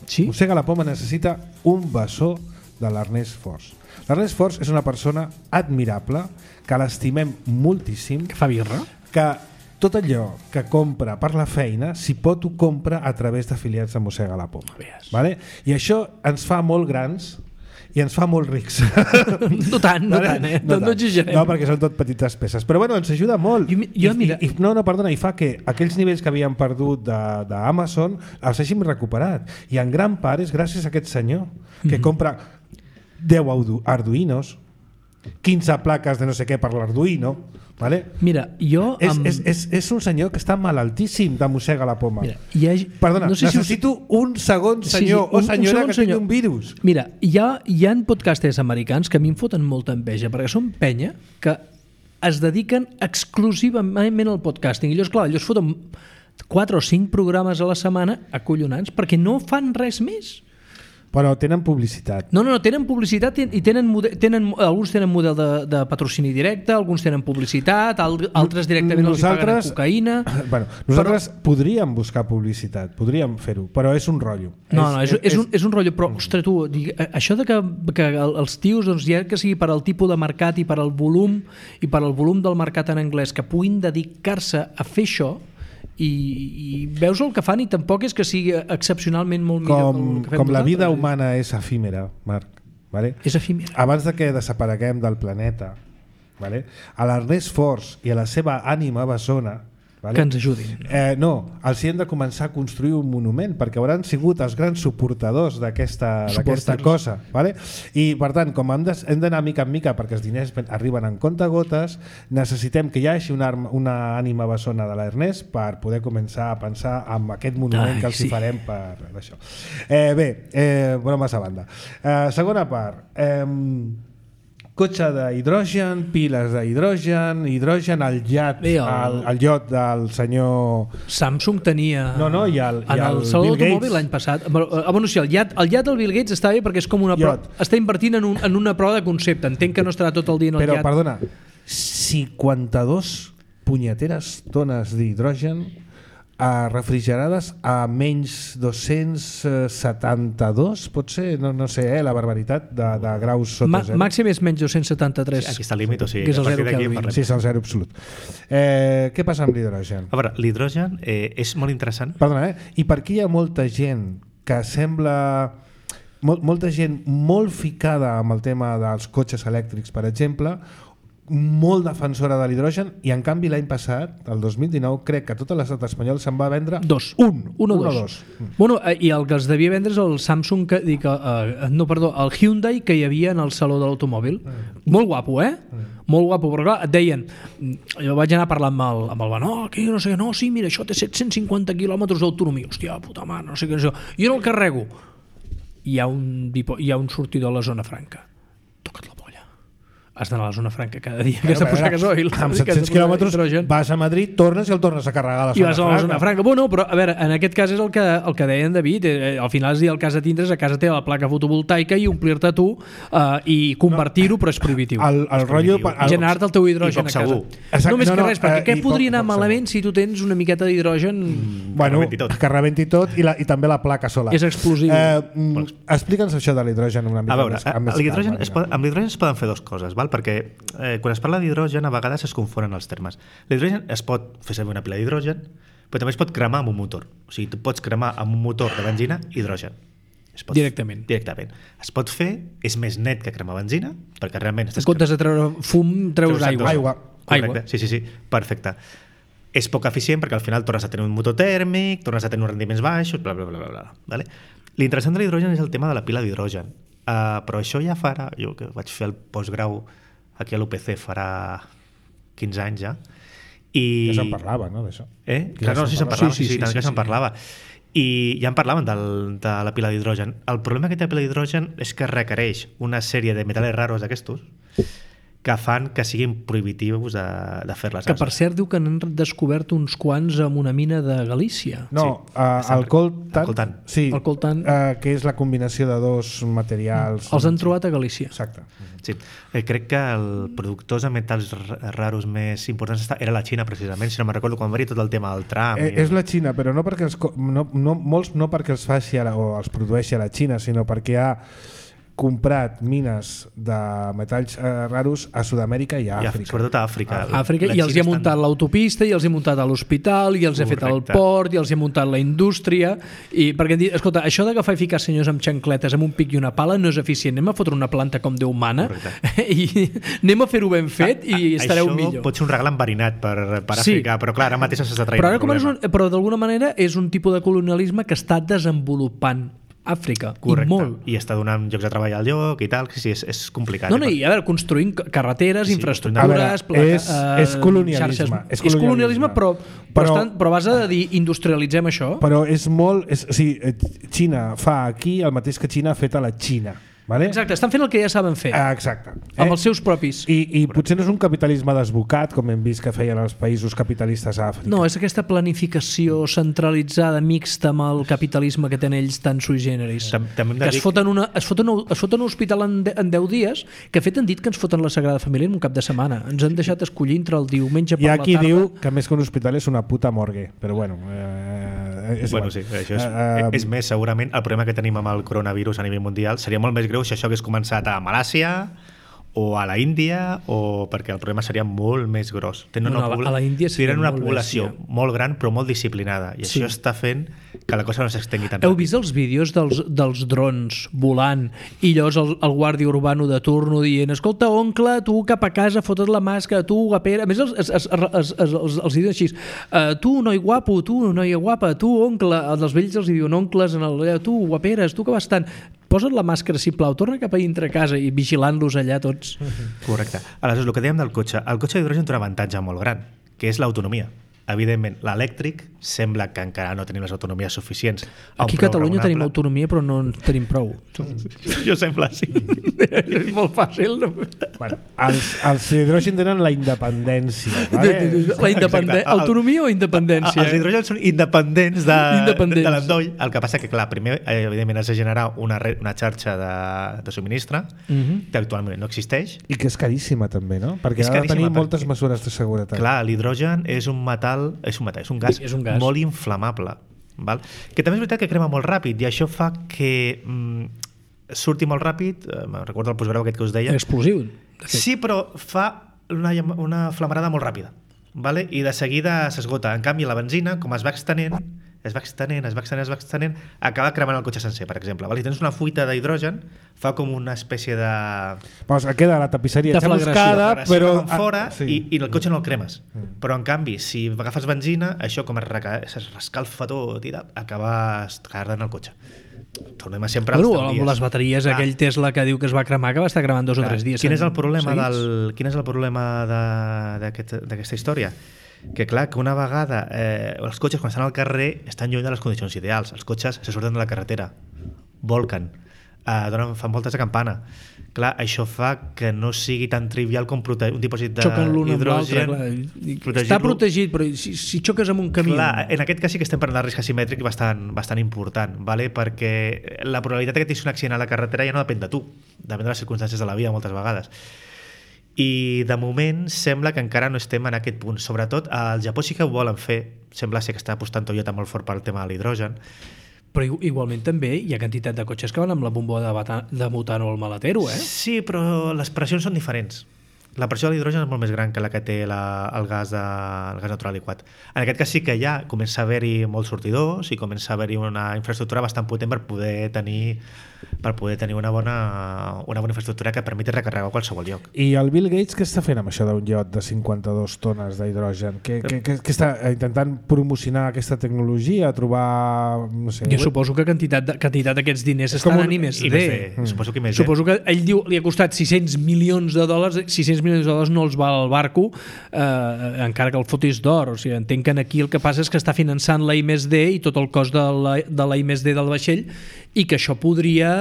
Sí? Mossega la Poma necessita un bessó de l'Ernest Force. L'Ernest Force és una persona admirable, que l'estimem moltíssim, Que fa birra? que tot allò que compra per la feina, si pot ho compra a través d'afiliats de Mossega la Poma. Vale? I això ens fa molt grans i ens fa molt rics. No tant, no exagerem. No, perquè són tot petites peces. Però bueno, ens ajuda molt. Perdona, i fa que aquells nivells que havíem perdut d'Amazon els hàgim recuperat. I en gran part és gràcies a aquest senyor que compra 10 Arduinos, 15 plaques de no sé què per l'Arduino. Vale? Mira, jo... És un senyor que està malaltíssim de Mossega la Poma. Mira, Perdona, no sé necessito un segon senyor o senyora que tingui un virus. Mira, hi ha podcasters americans que a mi em foten molta enveja, perquè són penya que es dediquen exclusivament al podcasting. I ells foten 4 o 5 programes a la setmana acollonants perquè no fan res més. Però tenen publicitat. No, tenen publicitat i alguns tenen model de patrocini directe, alguns tenen publicitat, altres directament els paguen en cocaïna. Bueno, nosaltres podríem buscar publicitat, podríem fer-ho, però és un rotllo. És un rotllo, però, ostres, tu, això de que els tios, doncs, ja que sigui per al tipus de mercat i per al volum del mercat en anglès, que puguin dedicar-se a fer això, i veus el que fan i tampoc és que sigui excepcionalment molt millor que fem com la vida nosaltres. humana és efímera, Marc, vale? És efímera. Abans de que desapareguem del planeta, vale? A l'Ernest Force i a la seva ànima bessona, vale? Que ens ajudin. No, els hi hem de començar a construir un monument perquè hauran sigut els grans suportadors d'aquesta cosa, vale? I per tant, com hem d'anar mica en mica perquè els diners arriben en comptagotes, necessitem que hi hagi una ànima bessona de l'Ernest per poder començar a pensar en aquest monument que els hi farem per això. Bromes a banda. Segona part, cotxe d'hidrogen, piles d'hidrogen, al iot del senyor... Samsung tenia... i el Saló Bill d'automòbil Gates. l'any passat. Sí, el iat del Bill Gates està bé perquè és com una prova. Està invertint en una prova de concepte. Entenc que no estarà tot el dia en el iat. Però, perdona, 52 punyeteres tones d'hidrogen refrigerades a menys 272, pot ser, no sé, la barbaritat de graus sota zero. Màxim és menys 273. Sí, aquí està el límit, o sigui, que és el zero Kelvin. Sí, és el zero absolut. Què passa amb l'hidrogen? A veure, l'hidrogen és molt interessant. Perdona, i per què hi ha molta gent que sembla... molta gent molt ficada amb el tema dels cotxes elèctrics, per exemple, molt defensora de l'hidrogen, i en canvi l'any passat, el 2019, crec que tot l'estat espanyol se'n va vendre un o dos. Bueno, i el que es devia vendre és el Samsung, el Hyundai que hi havia en el saló de l'automòbil. Molt guapo, molt guapo, però clar, et deien, jo vaig anar a parlar amb el Benó, sí, mira, això té 750 quilòmetres d'autonomia, hòstia, puta mare, no sé què és això, jo no el carrego. Hi ha un sortidor a la zona franca. Toca't la polla. Has d'anar a la zona franca cada dia que has de posar gasoil. Amb 700 quilòmetres vas a Madrid, tornes i el tornes a carregar a la zona franca. I vas a la zona franca. Bueno, però a veure, en aquest cas és el que deia en David, al final és dir el cas de tindre's a casa té la placa fotovoltaica i omplir-te tu i convertir-ho, però és prohibitiu. El rotllo... Generar-te el teu hidrogen a casa. No més que res, perquè què podria anar malament si tu tens una miqueta d'hidrogen... Bueno, que rebenti tot i també la placa solar. És explosiu. Explica'ns això de l'hidrogen una mica més. A veure, amb l'hidrogen es poden fer dues coses, perquè quan es parla d'hidrogen a vegades es confonen els termes. L'hidrogen es pot fer servir una pila d'hidrogen, però també es pot cremar amb un motor. O sigui, tu pots cremar amb un motor de benzina hidrogen. Directament. Es pot fer, és més net que cremar benzina, perquè realment... En comptes de treure fum, treus aigua. Correcte. Sí, perfecte. És poc eficient perquè al final tornes a tenir un motor tèrmic, tornes a tenir uns rendiments baixos, bla, bla, bla, bla, bla. Vale? L'interessant de l'hidrogen és el tema de la pila d'hidrogen. Però això ja farà... Jo que vaig fer el postgrau aquí a l'UPC farà 15 anys ja. Ja se'n parlava, no, d'això? Clar, sí, se'n parlava. Sí, tant que se'n parlava. I ja en parlaven de la pila d'hidrogen. El problema que té la pila d'hidrogen és que requereix una sèrie de metals raros d'aquestos que fan que siguin prohibitius de fer-les. Que per cert diu que han descobert uns quants amb una mina de Galícia. No, el coltan. Sí, el coltan, que és la combinació de dos materials. Els han trobat a Galícia. Exacte. Sí. Crec que el productors de metalls raros més importants era la Xina, precisament, si no me'n recordo, quan va haver tot el tema del tram. És la Xina, però no perquè molts no perquè els faci o els produeixi a la Xina, sinó perquè ha comprat mines de metalls raros a Sud-amèrica i a Àfrica. Sobretot a Àfrica. I els hi ha muntat l'autopista, i els hi ha muntat a l'hospital, i els ha fet el port, i els hi ha muntat la indústria, i perquè han dit, escolta, això d'agafar i ficar senyors amb xancletes amb un pic i una pala no és eficient, anem a fotre una planta com Déu mana i anem a fer-ho ben fet i estareu millor. Això pot ser un regal enverinat per Àfrica, però clar, ara mateix s'està traient un problema. Però d'alguna manera és un tipus de colonialisme que està desenvolupant Àfrica. Correcte. I molt. I està donant llocs de treball al lloc i tal, que sí, és complicat. No, i a veure, construint carreteres, infraestructures... És colonialisme. És colonialisme, però a base de dir industrialitzem això. Però és molt... Xina fa aquí el mateix que Xina ha fet a la Xina. Vale? Exacte, estan fent el que ja saben fer. Exacte. Amb els seus propis. I potser no és un capitalisme desbocat, com hem vist que feien els països capitalistes a Àfrica. No, és aquesta planificació centralitzada, mixta amb el capitalisme que tenen ells tan sui generis. Que es foten un hospital en 10 dies, que fet han dit que ens foten la Sagrada Família en un cap de setmana. Ens han deixat escollir entre el diumenge per la tarda. Hi ha qui diu que més que un hospital és una puta morgue, però bueno... sí, això és més, segurament el problema que tenim amb el coronavirus a nivell mundial seria molt més greu si això hagués començat a Malàsia o a la Índia, o perquè el problema seria molt més gros. Tenen una població molt gran però molt disciplinada, i això està fent que la cosa no s'estengui tant. Heu vist els vídeos dels drons volant i llavors el guàrdia urbano de turno dient, escolta, oncle, tu cap a casa fotes la màscara, tu guapera, a més els diuen així, tu noi guapo, tu noia guapa, tu oncle, els vells els diuen oncles, tu guaperes, tu que vas tant, posa't la màscara, sisplau, torna cap a dintre casa, i vigilant-los allà tots. Correcte. Aleshores, el que dèiem del cotxe, el cotxe d'hidrogen té un avantatge molt gran, que és l'autonomia. Evidentment, l'elèctric sembla que encara no tenim les autonomies suficients. Aquí a Catalunya tenim autonomia, però no en tenim prou. Jo sembla, sí. És molt fàcil. No? Bueno, els hidrogen tenen la independència. Vale? Autonomia o independència? Els hidrogen són independents de l'endoll. El que passa que, clar, primer, evidentment, has de generar una xarxa de subministre que actualment no existeix. I que és caríssima, també, no? Perquè ha de tenir moltes mesures de seguretat. Clar, l'hidrogen és un un gas molt inflamable, val? Que també és veritat que crema molt ràpid, i això fa que surti molt ràpid. Recordo el postgrau aquest que us deia. Explosiu. Sí, però fa una flamarada molt ràpida, vale? I de seguida s'esgota. En canvi, la benzina, com es va extenent, acaba cremant el cotxe sencer, per exemple. Si tens una fuita d'hidrogen, fa com una espècie de... Queda la tapisseria xamuscada, però... fora, i el cotxe no el cremes. Però, en canvi, si agafes benzina, això com es rescalfa tot i acabes cardant el cotxe. Tornem a sempre als dies. Amb les bateries, aquell Tesla que diu que es va cremar, que va estar cremant 2 o 3 dies. Quin és el problema d'aquesta història? Que clar, que una vegada els cotxes quan estan al carrer estan lluny de les condicions ideals. Els cotxes se surten de la carretera, volquen, fan voltes de campana. Clar, això fa que no sigui tan trivial com un dipòsit d'hidrogen. Està protegit, però si xoques amb un camí... Clar, en aquest cas sí que estem parlant de risc asimètric bastant important, vale? Perquè la probabilitat que tinguis un accident a la carretera ja no depèn de tu, depèn de les circumstàncies de la vida moltes vegades. I de moment sembla que encara no estem en aquest punt. Sobretot al Japó sí que ho volen fer, sembla ser que està apostant Toyota molt fort pel tema de l'hidrogen. Però igualment també hi ha quantitat de cotxes que van amb la bomba de butano al maletero, eh? Sí, però les pressions són diferents. la pressió de l'hidrogen és molt més gran que la que té el gas natural liquat. En aquest cas sí que ja comença a haver-hi molts sortidors i comença a haver-hi una infraestructura bastant potent per poder tenir una bona infraestructura que permeti recarregar a qualsevol lloc. I el Bill Gates què està fent amb això d'un iot de 52 tones d'hidrogen? Què està intentant promocionar aquesta tecnologia, trobar... No sé, jo suposo que quantitat d'aquests diners estan en I+D. Suposo que Suposo que ell diu li ha costat $600 milions, 600 milions de dòlars no els val el barco, encara que el fotis d'or. O sigui, entenc que aquí el que passa és que està finançant la I+D i tot el cost de la I+D del vaixell, i que això podria...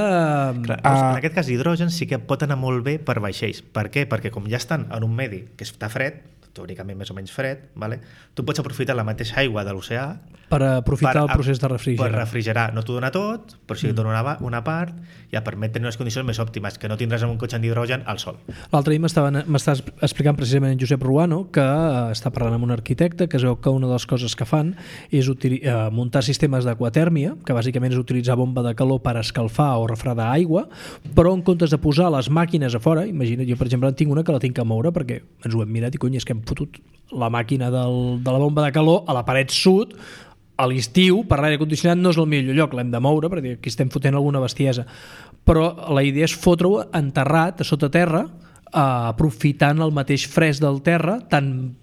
Clar, en aquest cas l'hidrogen sí que pot anar molt bé per vaixells. Per què? Perquè com ja estan en un medi que està fred, teòricament més o menys fred, vale? Tu pots aprofitar la mateixa aigua de l'oceà per aprofitar el procés de refrigerar. Per refrigerar. No t'ho dona tot, però sí que et dona una part, ja permet tenir unes condicions més òptimes, que no tindràs en un cotxe d'hidrogen al sol. L'altre dia m'estàs explicant precisament en Josep Ruano, que està parlant amb un arquitecte, que es veu que una de les coses que fan és muntar sistemes d'aquatèrmia, que bàsicament és utilitzar bomba de calor per escalfar o refredar aigua, però en comptes de posar les màquines a fora, imagina't, jo per exemple en tinc una que la tinc a moure, perquè ens ho hem mirat i cony, és que hem fotut la màquina de la bomba de calor a la paret sud, a l'estiu, per l'aire condicionat no és el millor lloc, l'hem de moure perquè aquí estem fotent alguna bestiesa, però la idea és fotre-ho enterrat a sota terra, aprofitant el mateix fresc del terra, tant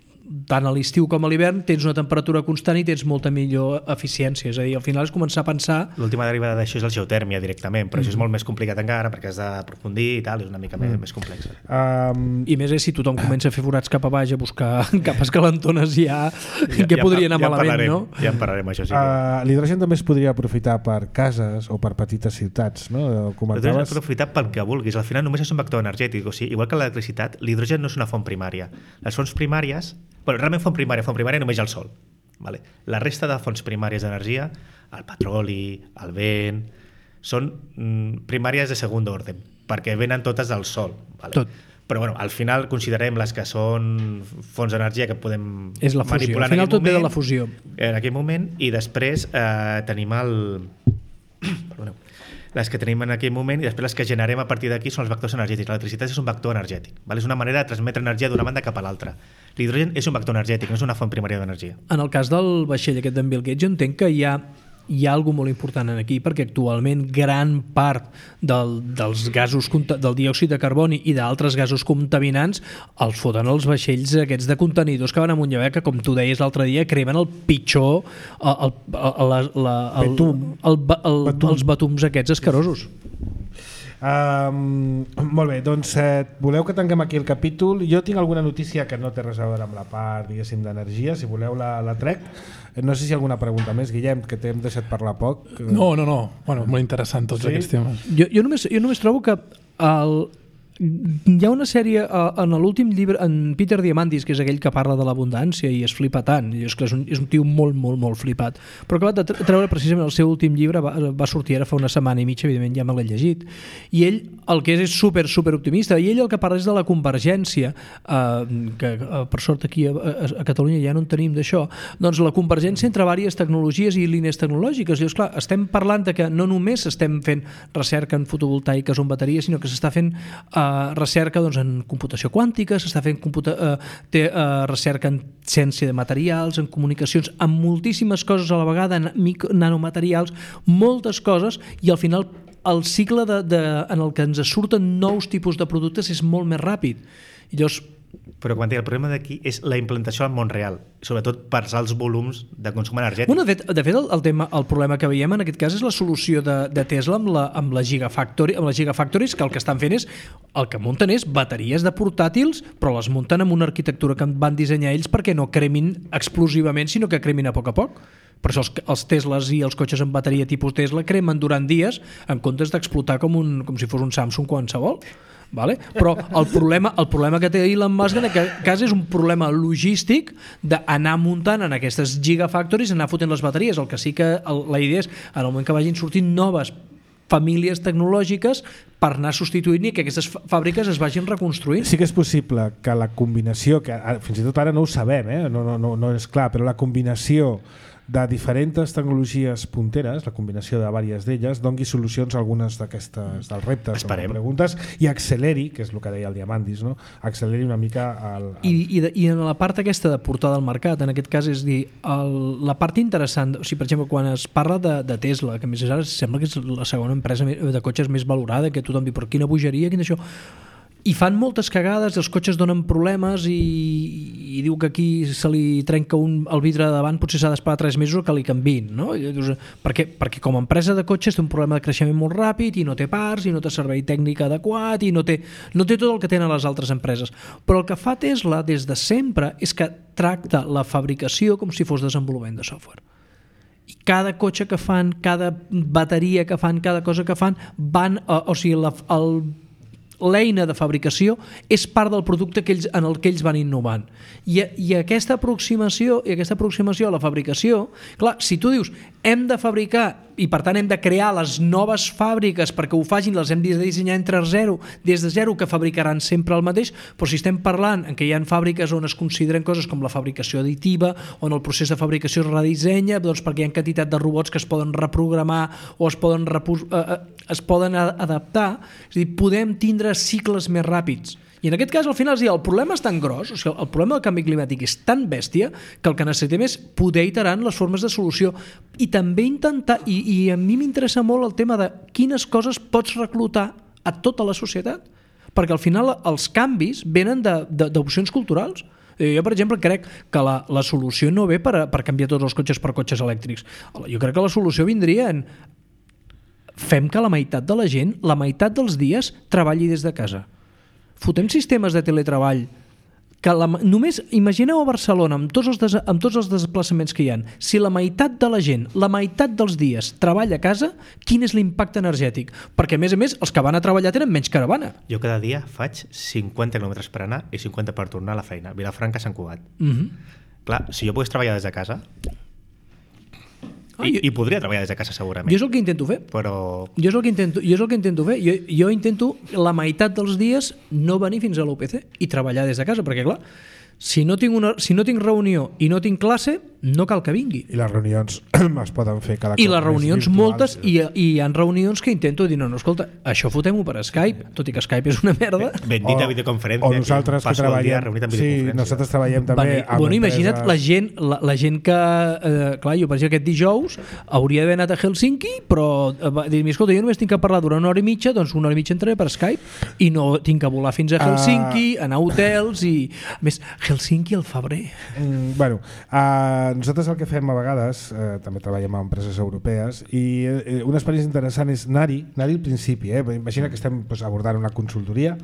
a l'estiu com a l'hivern tens una temperatura constant i tens molta millor eficiència, és a dir, al final és començar a pensar... L'última derivada d'això és la geotèrmia directament, però això és molt més complicat encara perquè has d'aprofundir i tal, és una mica més complex. I més és si tothom comença a fer forats cap a baix, a buscar capes calentones que podria anar malament, no? Ja en parlarem, això sí. L'hidrogen també es podria aprofitar per cases o per petites ciutats, no? L'hidrogen es pot aprofitar pel que vulguis, al final només és un vector energètic, o sigui, igual que l'electricitat, l'hidrogen no és una font primària. Les fonts primàries, realment font primària només el sol. Vale? La resta de fonts primàries d'energia, el petroli, el vent, són primàries de segon ordre, perquè venen totes del sol. Vale? Tot. Però bueno, al final considerem les que són fonts d'energia que podem és la fusió. manipular al final tot ve de la fusió. En aquell moment, i després tenim Perdoneu. Les que tenim en aquell moment i després les que generem a partir d'aquí són els vectors energètics. L'electricitat és un vector energètic, val? És una manera de transmetre energia d'una banda cap a l'altra. L'hidrogen és un vector energètic, no és una font primària d'energia. En el cas del vaixell aquest d'en Bill Gates, jo entenc que hi ha alguna molt important aquí, perquè actualment gran part dels gasos, del diòxid de carboni i d'altres gasos contaminants els foten els vaixells aquests de contenidors que van amunt i avall, que com tu deies l'altre dia cremen el pitjor els batums aquests escarosos. Molt bé, doncs voleu que tanquem aquí el capítol? Jo tinc alguna notícia que no té res a veure amb la part, diguéssim, d'energia, si voleu la trec. No sé si hi ha alguna pregunta més, Guillem, que t'hem deixat parlar poc. No. Bueno, molt interessant tots aquests temes. Jo només trobo que hi ha una sèrie en l'últim llibre, en Peter Diamandis, que és aquell que parla de l'abundància i es flipa tant, i és un tio molt, molt, molt flipat, però acabat de treure precisament el seu últim llibre, va sortir ara fa una setmana i mitja, evidentment ja me l'he llegit, i ell el que és super optimista, i ell el que parla és de la convergència, que per sort aquí a Catalunya ja no en tenim d'això, doncs la convergència entre diverses tecnologies i línies tecnològiques. Llavors, clar, estem parlant de que no només estem fent recerca en fotovoltaiques o en bateries, sinó que s'està fent recerca en computació quàntica, s'està fent recerca en ciència de materials, en comunicacions, en moltíssimes coses a la vegada, en nanomaterials, moltes coses, i al final el cicle en el que ens surten nous tipus de productes és molt més ràpid. I llavors, però quan el problema d'aquí és la implantació al món real, sobretot per alts volums de consum energètic. Bueno, de fet el problema que veiem en aquest cas és la solució de Tesla amb la Gigafactories, que el que estan fent és, el que munten és bateries de portàtils, però les munten amb una arquitectura que van dissenyar ells perquè no cremin explosivament, sinó que cremin a poc. Per això els Teslas i els cotxes amb bateria tipus Tesla cremen durant dies en comptes d'explotar com si fos un Samsung qualsevol. Vale? Però el problema que té Elon Musk en aquest cas és un problema logístic d'anar muntant en aquestes gigafactories, anar fotent les bateries. El que sí que la idea és, en el moment que vagin sortint noves famílies tecnològiques, per anar substituint i que aquestes fàbriques es vagin reconstruint. Sí que és possible que la combinació, que fins i tot ara no ho sabem, no és clar, però la combinació de diferents tecnologies punteres, la combinació de diverses d'elles, dongui solucions a algunes dels reptes o preguntes i acceleri, que és el que deia el Diamandis, no? Acceleri una mica I en la part aquesta de portada al mercat, en aquest cas, és dir, la part interessant, o sigui, per exemple, quan es parla de Tesla, que a més ara sembla que és la segona empresa de cotxes més valorada, que tothom diu, però quina bogeria, quin això... I fan moltes cagades, els cotxes donen problemes i diu que aquí se li trenca el vidre de davant, potser s'ha d'esperar 3 mesos que li canviïn, no? Perquè com a empresa de cotxes té un problema de creixement molt ràpid i no té parts i no té servei tècnic adequat i no té tot el que tenen les altres empreses. Però el que fa Tesla des de sempre és que tracta la fabricació com si fos desenvolupament de software. I cada cotxe que fan, cada bateria que fan, cada cosa que fan, l'eina de fabricació és part del producte en el que ells van innovant. I aquesta aproximació a la fabricació, clar, si tu dius hem de fabricar i per tant hem de crear les noves fàbriques perquè ho facin, les hem de dissenyar des de zero, que fabricaran sempre el mateix, però si estem parlant en què hi ha fàbriques on es consideren coses com la fabricació additiva, on el procés de fabricació es redissenya, doncs perquè hi ha quantitat de robots que es poden reprogramar o es poden adaptar, és a dir, podem tindre cicles més ràpids. I en aquest cas, al final, el problema és tan gros, o sigui, el problema del canvi climàtic és tan bèstia que el que necessitem és poder iterar en les formes de solució i també intentar, i a mi m'interessa molt el tema de quines coses pots reclutar a tota la societat, perquè al final els canvis venen d'opcions culturals. Jo, per exemple, crec que la solució no ve per canviar tots els cotxes per cotxes elèctrics. Jo crec que la solució vindria en fem que la meitat de la gent, la meitat dels dies, treballi des de casa. Fotem sistemes de teletreball que només imagineu a Barcelona amb tots els desplaçaments que hi ha, si la meitat de la gent, la meitat dels dies treballa a casa, quin és l'impacte energètic? Perquè a més, els que van a treballar tenen menys caravana. Jo cada dia faig 50 quilòmetres per anar i 50 per tornar a la feina, Vilafranca, Sant Cugat. Clar, si jo pogués treballar des de casa, i podria treballar des de casa segurament. Jo és el que intento fer. Però... Jo és el que intento fer. Jo intento la meitat dels dies no venir fins a l'UPC i treballar des de casa, perquè clar, si no tinc reunió i no tinc classe, no cal que vingui. I les reunions es poden fer cada cop. I les reunions moltes, i hi ha reunions que intento dir, no, escolta, això fotem-ho per Skype, tot i que Skype és una merda. Bendita videoconferència. O nosaltres que treballem. Sí, nosaltres treballem també amb imagina't la gent que... clar, jo per exemple aquest dijous hauria d'haver anat a Helsinki, però va dir-me, escolta, jo només tinc que parlar durant 1 hora i mitja, doncs 1 hora i mitja entraré per Skype i no tinc que volar fins a Helsinki, anar a hotels i... A més, Helsinki al febrer. Bueno, nosaltres el que fem a vegades, també treballem amb empreses europees, i una experiència interessant és anar-hi al principi. Imagina que estem abordant una consultoria.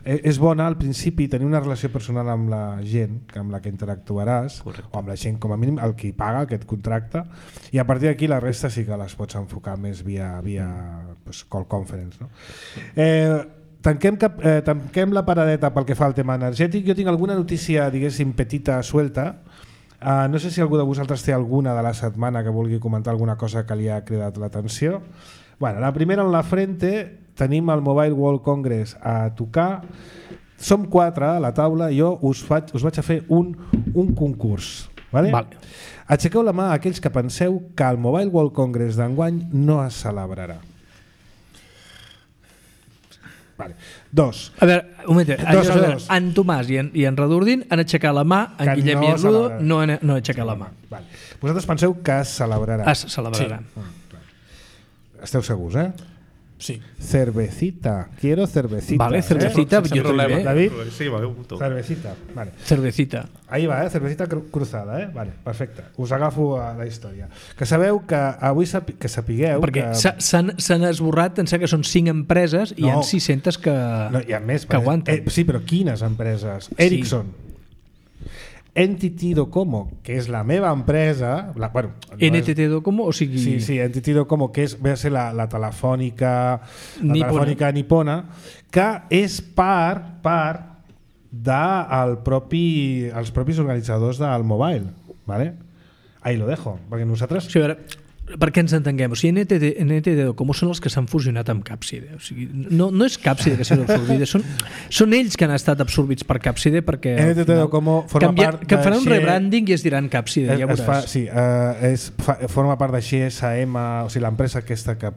És bona al principi tenir una relació personal amb la gent amb la que interactuaràs. Correcte. O amb la gent, com a mínim, el qui paga aquest contracte, i a partir d'aquí la resta sí que les pots enfocar més via call conference, no? Tanquem la paradeta pel que fa al tema energètic. Jo tinc alguna notícia, diguéssim, petita, suelta. No sé si algú de vosaltres té alguna de la setmana que vulgui comentar alguna cosa que li ha cridat l'atenció. Bueno, la primera en la frente, tenim el Mobile World Congress a tocar. Som 4 a la taula, jo us vaig a fer un concurs. Vale? Aixequeu la mà aquells que penseu que el Mobile World Congress d'enguany no es celebrarà. Vale. 2. A veure, un moment, en Tomàs i en Redordin han aixecat la mà, en Guillem i en Ludo no han aixecat la mà. Vale. Vosaltres penseu que es celebrarà? Es celebrarà. Sí. Esteu segurs, Sí. Cervecita. Quiero cervecita. Vale, cervecita. Sense problema. David? Sí, Cervecita. Vale. Cervecita. Ahí va, cervecita cruzada, Vale, perfecte. Us agafo a la història. Que sabeu que avui que sapigueu... Perquè s'han esborrat, em sembla que són 5 empreses i hi ha 600 que aguanten. Sí, però quines empreses? Ericsson. Entity Docomo, que és la meva empresa... NTT Docomo, o sigui... Sí, Entity Docomo, que ve a ser la telefònica nipona, que és part dels propis organitzadors del mobile. ¿Vale? Ahí lo dejo, perquè nosaltres... Sí, a veure, perquè ens entenguem, o sigui, NTT Docomo són els que s'han fusionat amb Capside, o sigui, no és Capside que sigui absorbida, són ells que han estat absorbits per Capside perquè NTT Docomo forma part que faran un rebranding i es diran Capside, ja veuràs. Forma part de XSM, o sigui, l'empresa aquesta que,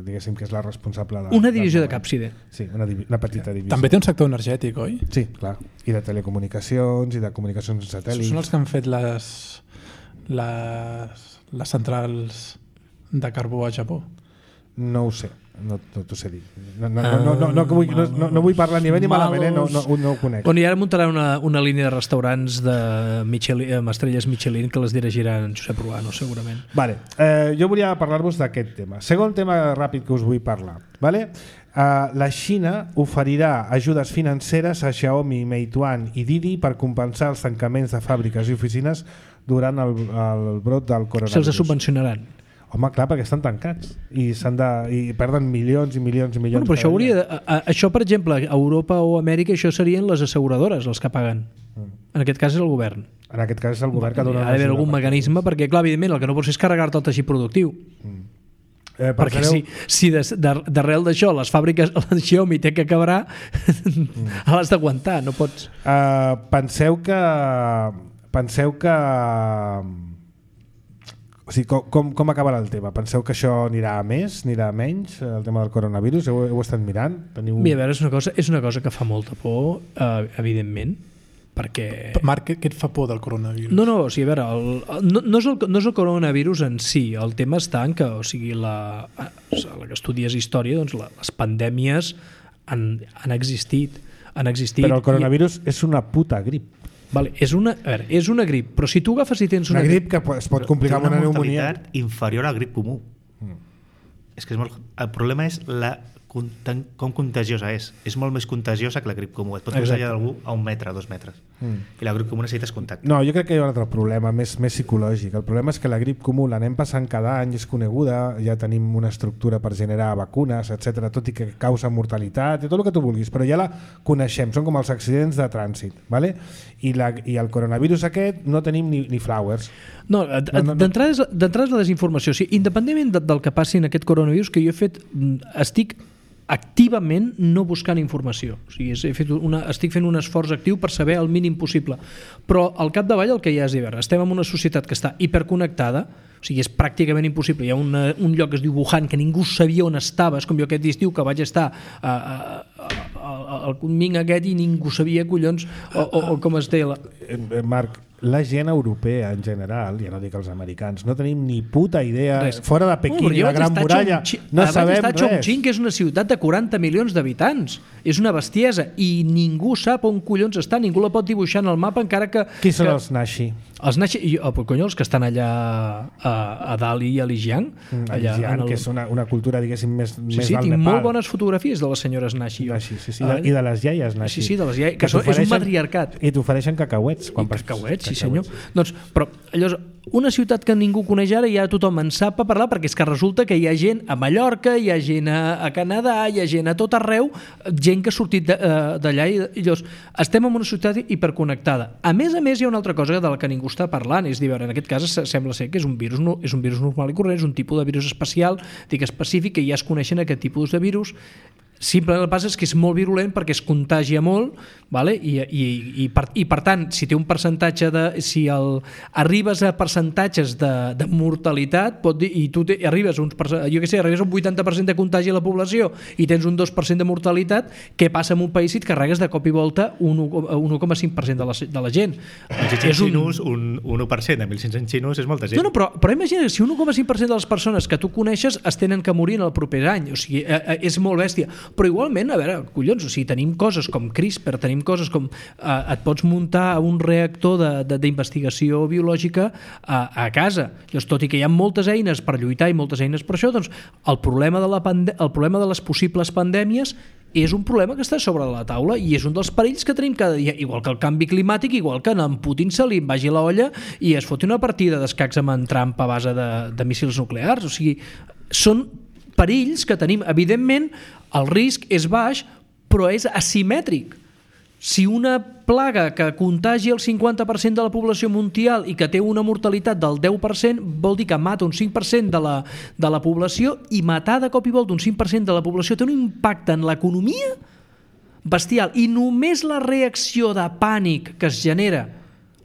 diguéssim, que és la responsable una divisió de Capside. Sí, una petita divisió. També té un sector energètic, oi? Sí, clar, i de telecomunicacions i de comunicacions satèl·lits. Són els que han fet les centrals de carbó a Japó? No ho sé, no t'ho sé dir. No vull parlar ni bé ni malament, no ho conec. Bueno, i ara muntaran una línia de restaurants amb estrelles Michelin que les dirigiran Josep Ruano, segurament. Vale. Jo volia parlar-vos d'aquest tema. Segon tema ràpid que us vull parlar. Vale? La Xina oferirà ajudes financeres a Xiaomi, Meituan i Didi per compensar els tancaments de fàbriques i oficines durant el brot del coronavirus. Se'ls subvencionaran. Home, clar, perquè estan tancats i perden milions i milions i milions. Bueno, però això, per exemple, a Europa o Amèrica, això serien les asseguradores els que paguen. En aquest cas és el govern. En aquest cas és el govern que dona... Ha d'haver algun mecanisme perquè, clar, evidentment, el que no pots fer és carregar-te el teixit productiu. Perquè si d'arrel d'això les fàbriques, la Xiaomi té que quebrar, l'has d'aguantar, no pots... Penseu que... O sigui, com acabarà el tema? Penseu que això anirà a més, anirà a menys, el tema del coronavirus? Heu estat mirant? Mira, a veure, és una cosa que fa molta por, evidentment, perquè... Marc, què et fa por del coronavirus? No, o sigui, a veure, no és el coronavirus en si, el tema està en que, o sigui, la que estudies història, doncs les pandèmies han existit. Però el coronavirus és una puta grip. Vale, és una grip, però si tu agafes i tens una grip que es pot complicar amb una pneumònia. Té una mortalitat inferior al grip comú. És que el problema és com contagiosa és. És molt més contagiosa que la grip comú. Et pot contagiar d'algú a 1 metre, 2 metres. I la grip comú necessites contacte. No, jo crec que hi ha un altre problema, més psicològic. El problema és que la grip comú l'anem passant cada any, és coneguda, ja tenim una estructura per generar vacunes, etc, tot i que causa mortalitat i tot el que tu vulguis, però ja la coneixem, són com els accidents de trànsit, ¿vale? I el coronavirus aquest no tenim ni flowers. No, d'entrada és la desinformació. O sigui, independentment del que passi en aquest coronavirus, que jo estic activament no buscant informació. O sigui, estic fent un esforç actiu per saber el mínim possible. Però al capdavall el que hi ha és dir, estem en una societat que està hiperconnectada, o sigui, és pràcticament impossible. Hi ha un lloc que es diu Wuhan, que ningú sabia on estava, és com jo aquest estiu que vaig estar al Kunming aquest i ningú sabia, collons, o com es deia. Marc, la gent europea en general, ja no dic els americans, no tenim ni puta idea, fora de Pequín i la Gran Muralla, no sabem res. Chongqing, que és una ciutat de 40 milions d'habitants, és una bestiesa i ningú sap on collons està, ningú la pot dibuixar en el mapa, encara que... Qui són els Naxi? Els Naxi, els que estan allà a Dali i a Lijiang. A Lijiang, que és una cultura, diguéssim, més del Nepal. Sí, tinc molt bones fotografies de les senyores Naxi. I de les iaies Naxi. Sí, de les iaies, que és un matriarcat. I t'ofereixen cacauets. Cacauets, sí senyor. Doncs, però llavors, una ciutat que ningú coneix ara, ja tothom en sap a parlar, perquè és que resulta que hi ha gent a Mallorca, hi ha gent a Canadà, hi ha gent a tot arreu, gent que ha sortit d'allà, i llavors estem en una ciutat hiperconnectada. A més, hi ha una altra cosa de la que ningú està parlant, és dir, en aquest cas sembla ser que és un virus normal i corrent, és un tipus de virus especial, dic específic, que ja es coneixen aquest tipus de virus. Simplement el que passa és que és molt virulent perquè es contagia molt, vale? I per tant, si té un percentatge arribes a percentatges de mortalitat, pot dir, i tu arribes a un 80% de contagi a la població i tens un 2% de mortalitat, què passa en un país si et carregues de cop i volta un 1,5% de la gent? És un 1%, de 1.500 xinos és molta gent. No, però imagina, si un 1,5% de les persones que tu coneixes es tenen que morir en el proper any, o sigui, és molt bèstia. Però igualment, a veure, collons, o sigui, tenim coses com CRISPR, tenim coses com et pots muntar un reactor d'investigació biològica a casa. Llavors, tot i que hi ha moltes eines per lluitar i moltes eines per això, doncs el problema de les possibles pandèmies és un problema que està sobre la taula i és un dels perills que tenim cada dia, igual que el canvi climàtic, igual que en Putin se li vagi la olla i es foti una partida d'escacs amb en Trump a base de míssils nuclears. O sigui, són perills que tenim. Evidentment, el risc és baix, però és asimètric. Si una plaga que contagi el 50% de la població mundial i que té una mortalitat del 10%, vol dir que mata un 5% de la població, i matar de cop i volta un 5% de la població té un impacte en l'economia bestial. I només la reacció de pànic que es genera,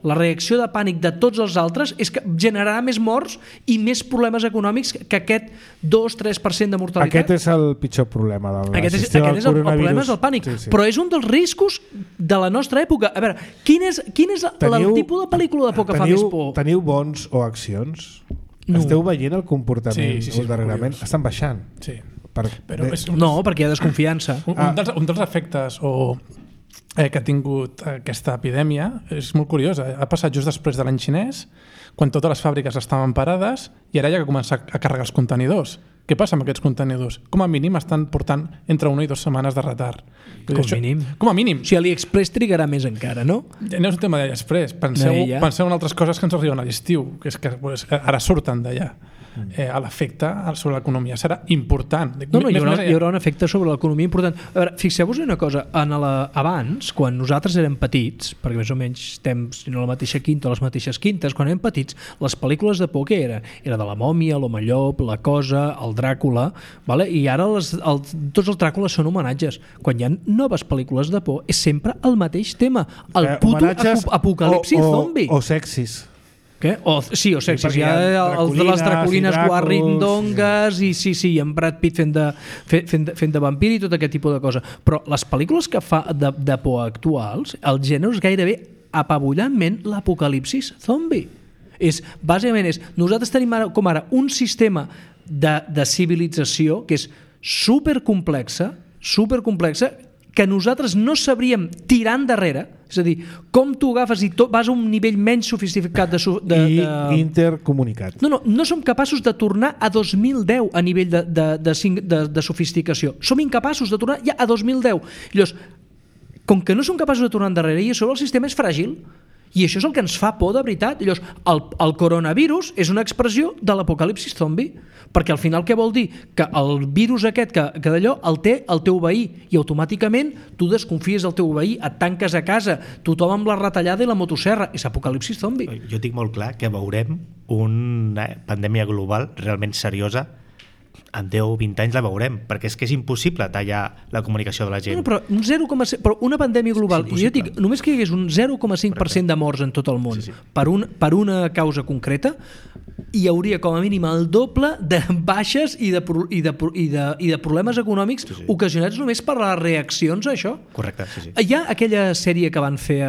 la reacció de pànic de tots els altres, és que generarà més morts i més problemes econòmics que aquest 2-3% de mortalitat. Aquest és el pitjor problema del Aquest és el problema, és el pànic. Sí. Però és un dels riscos de la nostra època. A veure, quin és el tipus de pel·lícula de por que fa més por? Teniu bons o accions? No. Esteu veient el comportament darrerament? Estan baixant. Sí. No, perquè hi ha desconfiança. Un dels efectes que ha tingut aquesta epidèmia és molt curiosa. Ha passat just després de l'any xinès, quan totes les fàbriques estaven parades, i ara hi ha que començar a carregar els contenidors. Què passa amb aquests contenidors? Com a mínim estan portant entre 1 i 2 setmanes de retard. Com a mínim. O sigui, AliExpress trigarà més encara, no? No és un tema d'AliExpress. Penseu en altres coses que ens arriben a l'estiu, que és que ara surten d'allà. L'efecte sobre l'economia serà important. Hi haurà un efecte sobre l'economia important. A veure, fixeu-vos una cosa, abans, quan nosaltres érem petits, perquè més o menys estem, si no la mateixa quinta o les mateixes quintes, quan érem petits, les pel·lícules de por què era? Era de la mòmia, l'home llop, la cosa, el Dràcula, vale? I ara tots els Dràcules són homenatges. Quan hi ha noves pel·lícules de por és sempre el mateix tema, el puto apocalipsi zombi. O sexis. Què? O sexis. Hi ha les draculines guarrindongues i en Brad Pitt fent de vampir i tot aquest tipus de cosa. Però les pel·lícules que fa de por actuals, el gènere és gairebé apabullantment l'apocalipsis zombi. Bàsicament nosaltres tenim com ara un sistema de civilització que és supercomplexa, que nosaltres no sabríem tirar endarrere, és a dir, com tu agafes i vas a un nivell menys sofisticat i intercomunicat. No som capaços de tornar a 2010 a nivell de sofisticació. Som incapaços de tornar ja a 2010. Llavors, com que no som capaços de tornar endarrere i a sobre el sistema és fràgil, i això és el que ens fa por de veritat. Llavors, el coronavirus és una expressió de l'apocalipsis zombi, perquè al final què vol dir? Que el virus aquest, que d'allò, el té el teu veí, i automàticament tu desconfies del teu veí, et tanques a casa, tothom amb la retallada i la motosserra. És apocalipsis zombi. Jo tinc molt clar que veurem una pandèmia global realment seriosa. En 10 o 20 anys la veurem, perquè és que és impossible tallar la comunicació de la gent. Però una pandèmia global, jo dic, només que hi hagués un 0,5% de morts en tot el món per una causa concreta, hi hauria com a mínim el doble de baixes i de problemes econòmics ocasionats només per les reaccions a això. Correcte, sí. Hi ha aquella sèrie que van fer,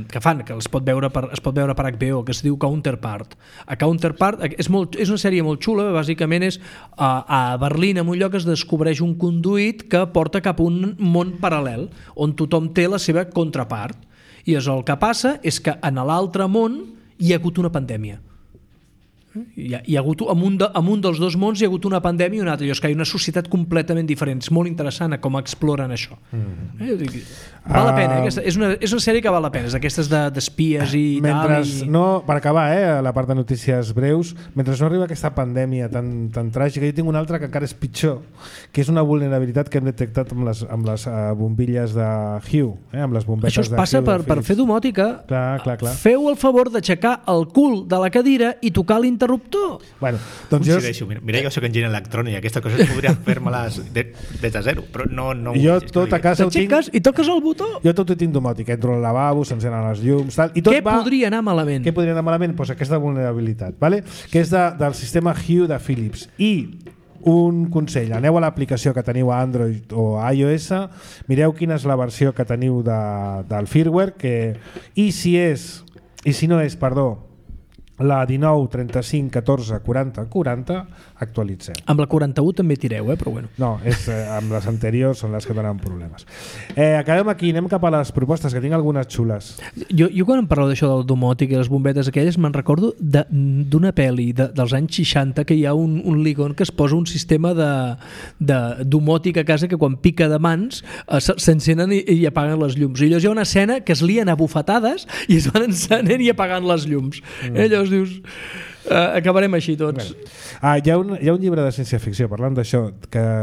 que es pot veure per HBO, que es diu Counterpart. A Counterpart és una sèrie molt xula, bàsicament és a Berlín, en un lloc, es descobreix un conduit que porta cap a un món paral·lel, on tothom té la seva contrapart. I el que passa és que en l'altre món hi ha hagut una pandèmia. Hi ha hagut, en un dels dos mons hi ha hagut una pandèmia i un altre. És que hi ha una societat completament diferent. És molt interessant com exploren això. Val la pena, és una sèrie que val la pena, és d'aquestes d'espies i tal. Per acabar, la part de notícies breus, mentre no arriba aquesta pandèmia tan tràgica, jo tinc una altra que encara és pitjor, que és una vulnerabilitat que hem detectat amb les bombilles de Hue, amb les bombetes de Hue. Això es passa per fer domòtica. Clar. Feu el favor d'aixecar el cul de la cadira i tocar l'interruptor. Bueno, doncs mira, jo soc enginyer electrònic i aquestes coses podria fer-me-les des de zero, però no. Jo tot a casa ho tinc... I toques el botó? Jo tot ho tinc domòtic, entro al lavabo, s'encenen les llums, tal, i tot podria anar malament? Què podria anar malament? Doncs aquesta vulnerabilitat, vale? Que és del sistema Hue de Philips. I un consell, aneu a l'aplicació que teniu a Android o a iOS, mireu quina és la versió que teniu del firmware, i si no és, la 19, 35, 14, 40, 40, actualitzem. Amb la 41 també tireu, però bueno. No, amb les anteriors són les que donen problemes. Acabem aquí, anem cap a les propostes, que tinc algunes xules. Jo quan em parlo d'això del domòtic i les bombetes aquelles, me'n recordo d'una pel·li dels anys 60 que hi ha un ligon que es posa un sistema de domòtic a casa que quan pica de mans s'encenen i apaguen les llums. I llavors hi ha una escena que es lien a bufetades i es van encenent i apagant les llums. Llavors aleshores dius acabarem així tots. Hi ha un llibre de ciència-ficció parlant d'això,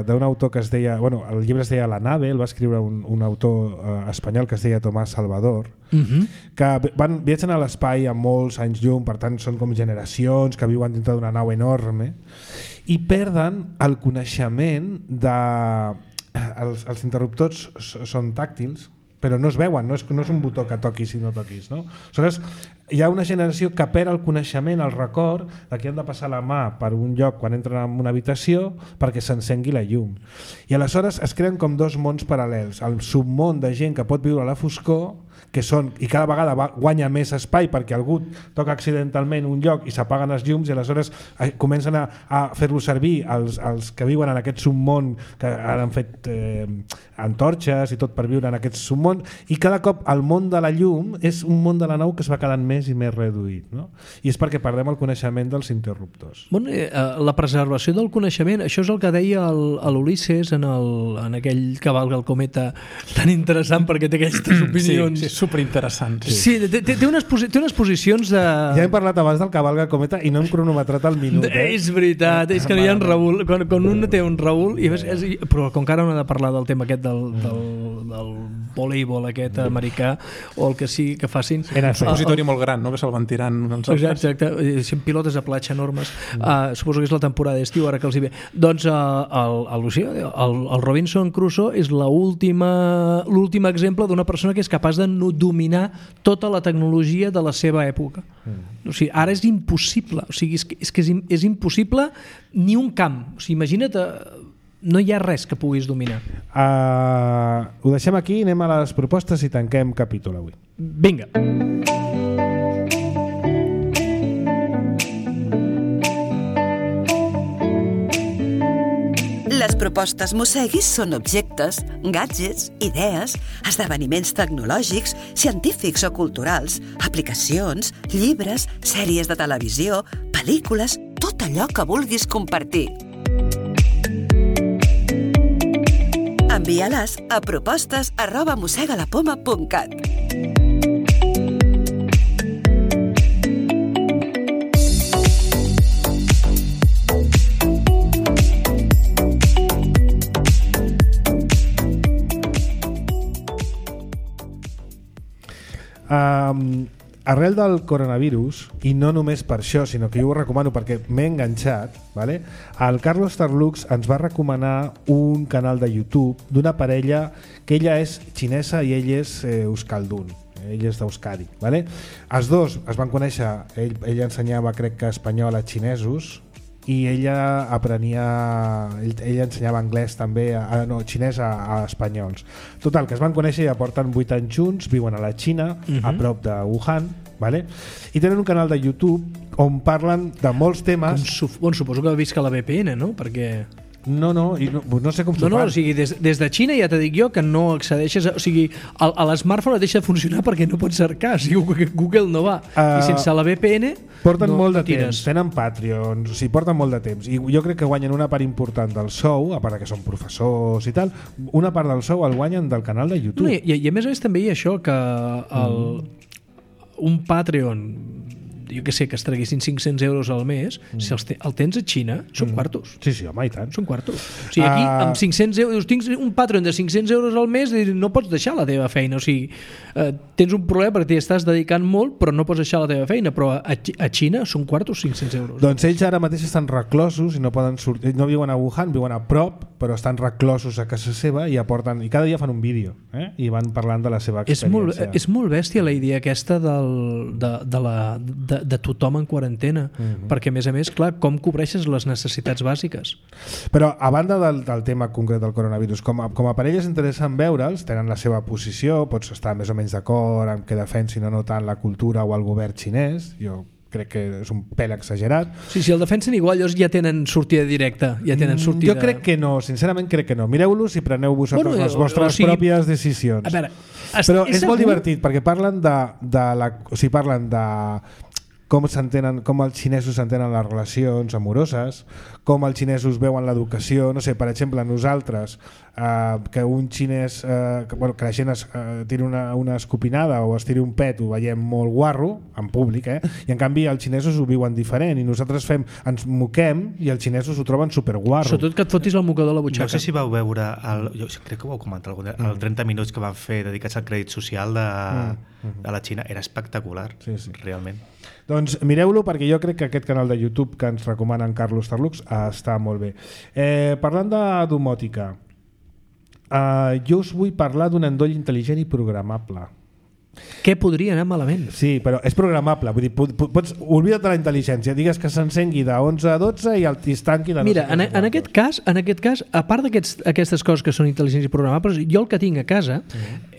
d'un autor que es deia, bueno, el llibre es deia La nave, el va escriure un autor espanyol que es deia Tomás Salvador, que viatgen a l'espai a molts anys llum, per tant són com generacions que viuen dintre d'una nau enorme i perden el coneixement de... Els interruptors són tàctils, però no es veuen, no és un botó que toquis i no toquis, no? Aleshores, hi ha una generació que perd el coneixement, el record de que han de passar la mà per un lloc quan entren en una habitació perquè s'encengui la llum. I aleshores es creen com dos mons paral·lels, el submón de gent que pot viure a la foscor, que són, i cada vegada guanya més espai perquè algú toca accidentalment un lloc i s'apaguen els llums i aleshores comencen a fer-lo servir els que viuen en aquest submón, que ara han fet antorxes i tot per viure en aquest submón, i cada cop el món de la llum és un món de la nau que es va quedant més i més reduït, no? I és perquè perdem el coneixement dels interruptors. Bueno, la preservació del coneixement, això és el que deia l'Ulisses en aquell Cavalga el cometa tan interessant perquè té aquestes opinions. Sí, superinteressant. Sí, té unes posicions de... Ja hem parlat abans del Cavalga el cometa i no hem cronometrat el minut. És veritat, és que no hi ha un Raül. Quan un té un Raül... Però com que ara no ha de parlar del tema aquest del voleibol aquest americà o el que sigui que facin... Un supositori molt gran, no? Que se'l van tirant els altres. Exacte, són pilotes de platja enormes. Suposo que és la temporada d'estiu ara que els hi ve. Doncs el Robinson Crusoe és l'últim exemple d'una persona que és capaç de dominar tota la tecnologia de la seva època. O sigui, ara és impossible. O sigui, és impossible ni un camp. O sigui, imagina't, no hi ha res que puguis dominar. Ho deixem aquí, anem a les propostes i tanquem capítol avui. Vinga. Les propostes Mosseguis són objectes, gadgets, idees, esdeveniments tecnològics, científics o culturals, aplicacions, llibres, sèries de televisió, pel·lícules, tot allò que vulguis compartir. Envia-les a propostes@mossegalapoma.cat. Arrel del coronavirus, i no només per això, sinó que jo ho recomano perquè m'he enganxat, vale? El Carlos Tarlux ens va recomanar un canal de YouTube d'una parella que ella és xinesa i ell és euskaldun, ell és d'Euskadi, vale? Els dos es van conèixer, ell ensenyava crec que espanyol a xinesos i ella ensenyava anglès també, xinès a espanyols. Total, que es van conèixer i ja porten 8 anys junts, viuen a la Xina, a prop de Wuhan, vale? I tenen un canal de YouTube on parlen de molts temes. Suposo que visca la VPN, no? Perquè... No sé com s'ho fan. O sigui, des de Xina ja t'he dit jo que no accedeixes, o sigui, l'smartphone deixa de funcionar perquè no pots cercar, o sigui, Google no va, i sense la VPN porten molt de temps, tenen Patreons, o sigui, porten molt de temps, i jo crec que guanyen una part important del sou, a part que són professors i tal, una part del sou el guanyen del canal de YouTube. No, i a més també hi ha això, que un Patreon, jo que sé, que es traguessin 500 euros al mes, si el tens a Xina, són quartos. Sí, home, i tant. Són quartos. O sigui, aquí, amb 500 euros, tinc un Patreon de 500 euros al mes, no pots deixar la teva feina. O sigui, tens un problema perquè t'hi estàs dedicant molt, però no pots deixar la teva feina. Però a Xina són quartos 500 euros. Doncs ells ara mateix estan reclosos i no poden sortir, no viuen a Wuhan, viuen a prop, però estan reclosos a casa seva i aporten, i cada dia fan un vídeo, i van parlant de la seva experiència. És molt bèstia la idea aquesta de tothom en quarantena, perquè a més, clar, com cobreixes les necessitats bàsiques? Però a banda del tema concret del coronavirus, com a parella és interessant veure'ls, tenen la seva posició, pots estar més o menys d'acord amb que defensin o no tant la cultura o el govern xinès, jo crec que és un pèl exagerat. Sí, si el defensen igual, llavors ja tenen sortida directa, ja tenen sortida... Jo crec que no, sincerament crec que no. Mireu-los i preneu vosaltres les vostres pròpies decisions. A veure, però és molt divertit perquè parlen de com els xinesos s'entenen les relacions amoroses, com els xinesos veuen l'educació, no sé, per exemple, nosaltres que un xinès que la gent tiri una escopinada o es tiri un pet, ho veiem molt guarro en públic, i en canvi els xinesos ho viuen diferent i nosaltres ens moquem i els xinesos ho troben superguarro. Sobretot que et fotis el mocador a la butxaca. No sé si vau veure jo crec que ho vau comentar el 30 minuts que van fer dedicats al crèdit social de la Xina, era espectacular, realment. Doncs mireu-lo, perquè jo crec que aquest canal de YouTube que ens recomana en Carlos Tarlux està molt bé. Parlant de domòtica, jo us vull parlar d'un endoll intel·ligent i programable. Què podria anar malament? Sí, però és programable, vull dir, oblida't de la intel·ligència, digues que s'encengui de 11 a 12 i es tanqui de... Mira, en aquest cas, a part d'aquestes coses que són intel·ligents i programables, jo el que tinc a casa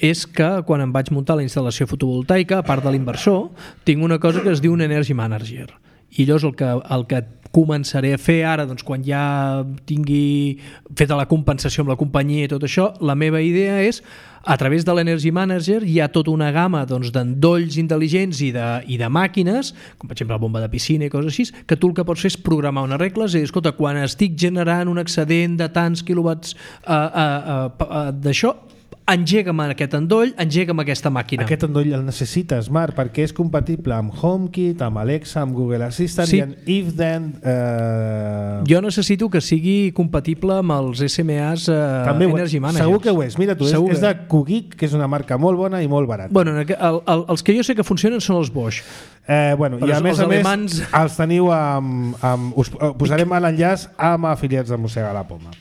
és que quan em vaig muntar la instal·lació fotovoltaica, a part de l'inversor, tinc una cosa que es diu un Energy Manager. I llavors el que començaré a fer ara, doncs, quan ja tingui feta la compensació amb la companyia i tot això, la meva idea és, a través de l'Energy Manager hi ha tota una gamma d'endolls intel·ligents i de màquines, com per exemple la bomba de piscina i coses així, que tu el que pots fer és programar unes regles i dir, escolta, quan estic generant un excedent de tants quilowatts d'això, engega'm aquest endoll, engega'm aquesta màquina. Aquest endoll el necessites, Marc, perquè és compatible amb HomeKit, amb Alexa, amb Google Assistant i amb If-Then... Jo necessito que sigui compatible amb els SMAs Energy Managers. Segur que ho és. Mira tu, és de Kugik, que és una marca molt bona i molt barata. Bueno, els que jo sé que funcionen són els Bosch. I a més els teniu us posarem l'enllaç amb afiliats de Mossega la Poma.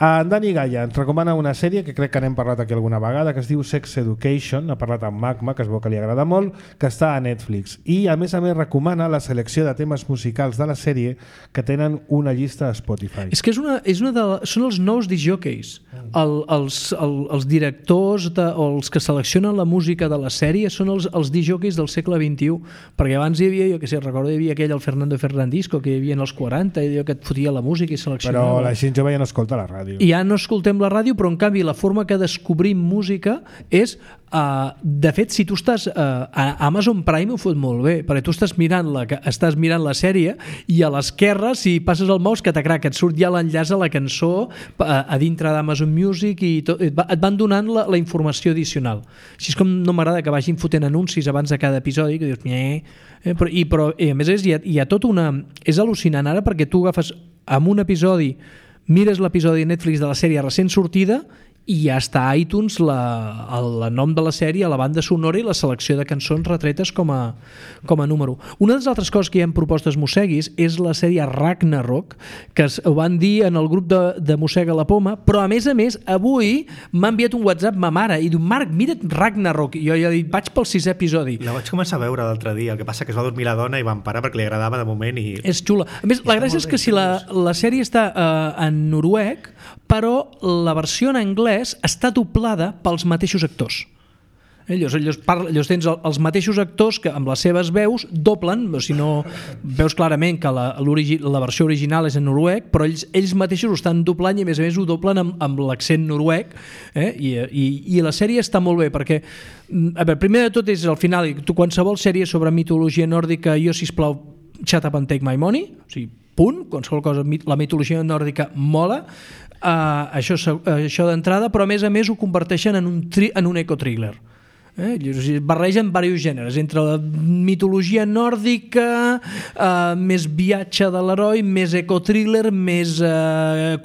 En Dani Gaia ens recomana una sèrie que crec que n'hem parlat aquí alguna vegada, que es diu Sex Education, ha parlat amb Magma, que es veu que li agrada molt, que està a Netflix, i a més recomana la selecció de temes musicals de la sèrie que tenen una llista a Spotify. És que són els nous discjockeys, els directors o els que seleccionen la música de la sèrie són els disjockeys del segle XXI, perquè abans hi havia, jo que sé, recordo hi havia aquell el Fernando Fernandisco que hi havia en els 40 i que et fotia la música i seleccionava. Però la gent jove ja no escolta la ràdio. I ja no escoltem la ràdio, però en canvi la forma que descobrim música és, de fet, si tu estàs a Amazon Prime ho fot molt bé, perquè tu estàs mirant la sèrie i a l'esquerra, si passes el mouse, que et surt ja l'enllaç a la cançó a dintre d'Amazon Music i et van donant la informació addicional. Així és com no m'agrada que vagin fotent anuncis abans de cada episodi, que dius, però a més hi ha tot una... És al·lucinant ara perquè tu agafes amb un episodi, mires l'episodi de Netflix de la sèrie recent sortida i ja està a iTunes el nom de la sèrie, la banda sonora i la selecció de cançons retretes com a número. Una de les altres coses que hi ha en propostes Mosseguis és la sèrie Ragnarok, que ho van dir en el grup de Mossega la Poma, però a més, avui m'ha enviat un WhatsApp ma mare i diu, Marc, mira't Ragnarok, i jo ja he dit, vaig pel 6è episodi. La vaig començar a veure l'altre dia, el que passa que es va dormir la dona i van parar perquè li agradava de moment i... És xula. A més, la gràcia és que si la sèrie està en noruec, però la versió en anglès està doblada pels mateixos actors. Llavors tens els mateixos actors que amb les seves veus doblen, si no veus clarament que la versió original és en noruec, però ells mateixos ho estan doblant i a més ho doblen amb l'accent noruec, i la sèrie està molt bé perquè, a veure, primer de tot és al final, tu qualsevol sèrie sobre mitologia nòrdica, jo sisplau shut up and take my money, o sigui, punt, qualsevol cosa, la mitologia nòrdica mola, això d'entrada, però a més ho converteixen en un eco-thriller. Barregen diversos gèneres, entre la mitologia nòrdica, més viatge de l'heroi, més eco-thriller, més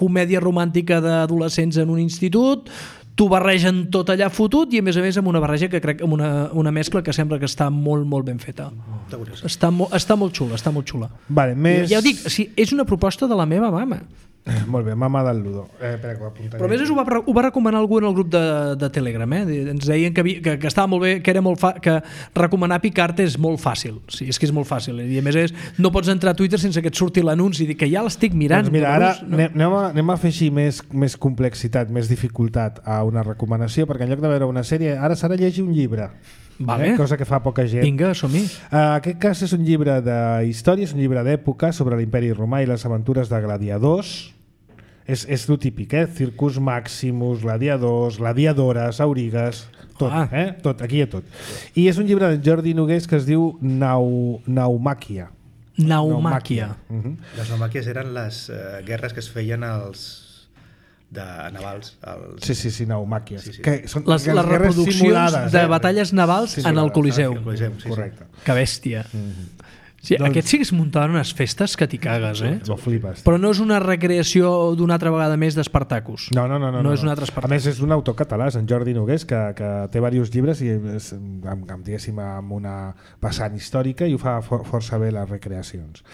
comèdia romàntica d'adolescents en un institut, t'ho barregen tot allà fotut i a més amb una barreja que crec amb una mescla que sembla que està molt, molt ben feta. Està molt xula. Vale, ja ho dic, és una proposta de la meva mama. Molt bé, mama del Ludo. Però a més ho va recomanar algú en el grup de Telegram. Ens deien que estava molt bé, que era que recomanar Picard és molt fàcil. Sí, és que és molt fàcil. I a més no pots entrar a Twitter sense que et surti l'anunci i dir que ja l'estic mirant. Doncs mira, ara anem a fer així més complexitat, més dificultat a una recomanació, perquè en lloc de veure una sèrie, ara s'ha de llegir un llibre. Vale. Cosa que fa poca gent. Vinga, som-hi. Aquest cas és un llibre d'història, és un llibre d'època sobre l'imperi romà i les aventures de gladiadors. És el típic, Circus Maximus, gladiadors, gladiadores, aurigues, tot, tot, aquí hi ha tot. I és un llibre de Jordi Nogués que es diu Naumàquia. Naumàquia. Les naumàquies eren les guerres que es feien navals. Sí, naumàquies. Sí. Que són Les guerres reproduccions simulades, de batalles navals en el Coliseu. Correcte. Que bèstia. Sí, Doncs- aquests sí que es muntaven unes festes que t'hi cagues, Lo flipes. Però no és una recreació d'una altra vegada més d'Espartacus. No. No és un altre A Espartacus. més, és un autor català, és en Jordi Nogués, que té diversos llibres i és, diguéssim, amb una vessant històrica i ho fa força bé les recreacions.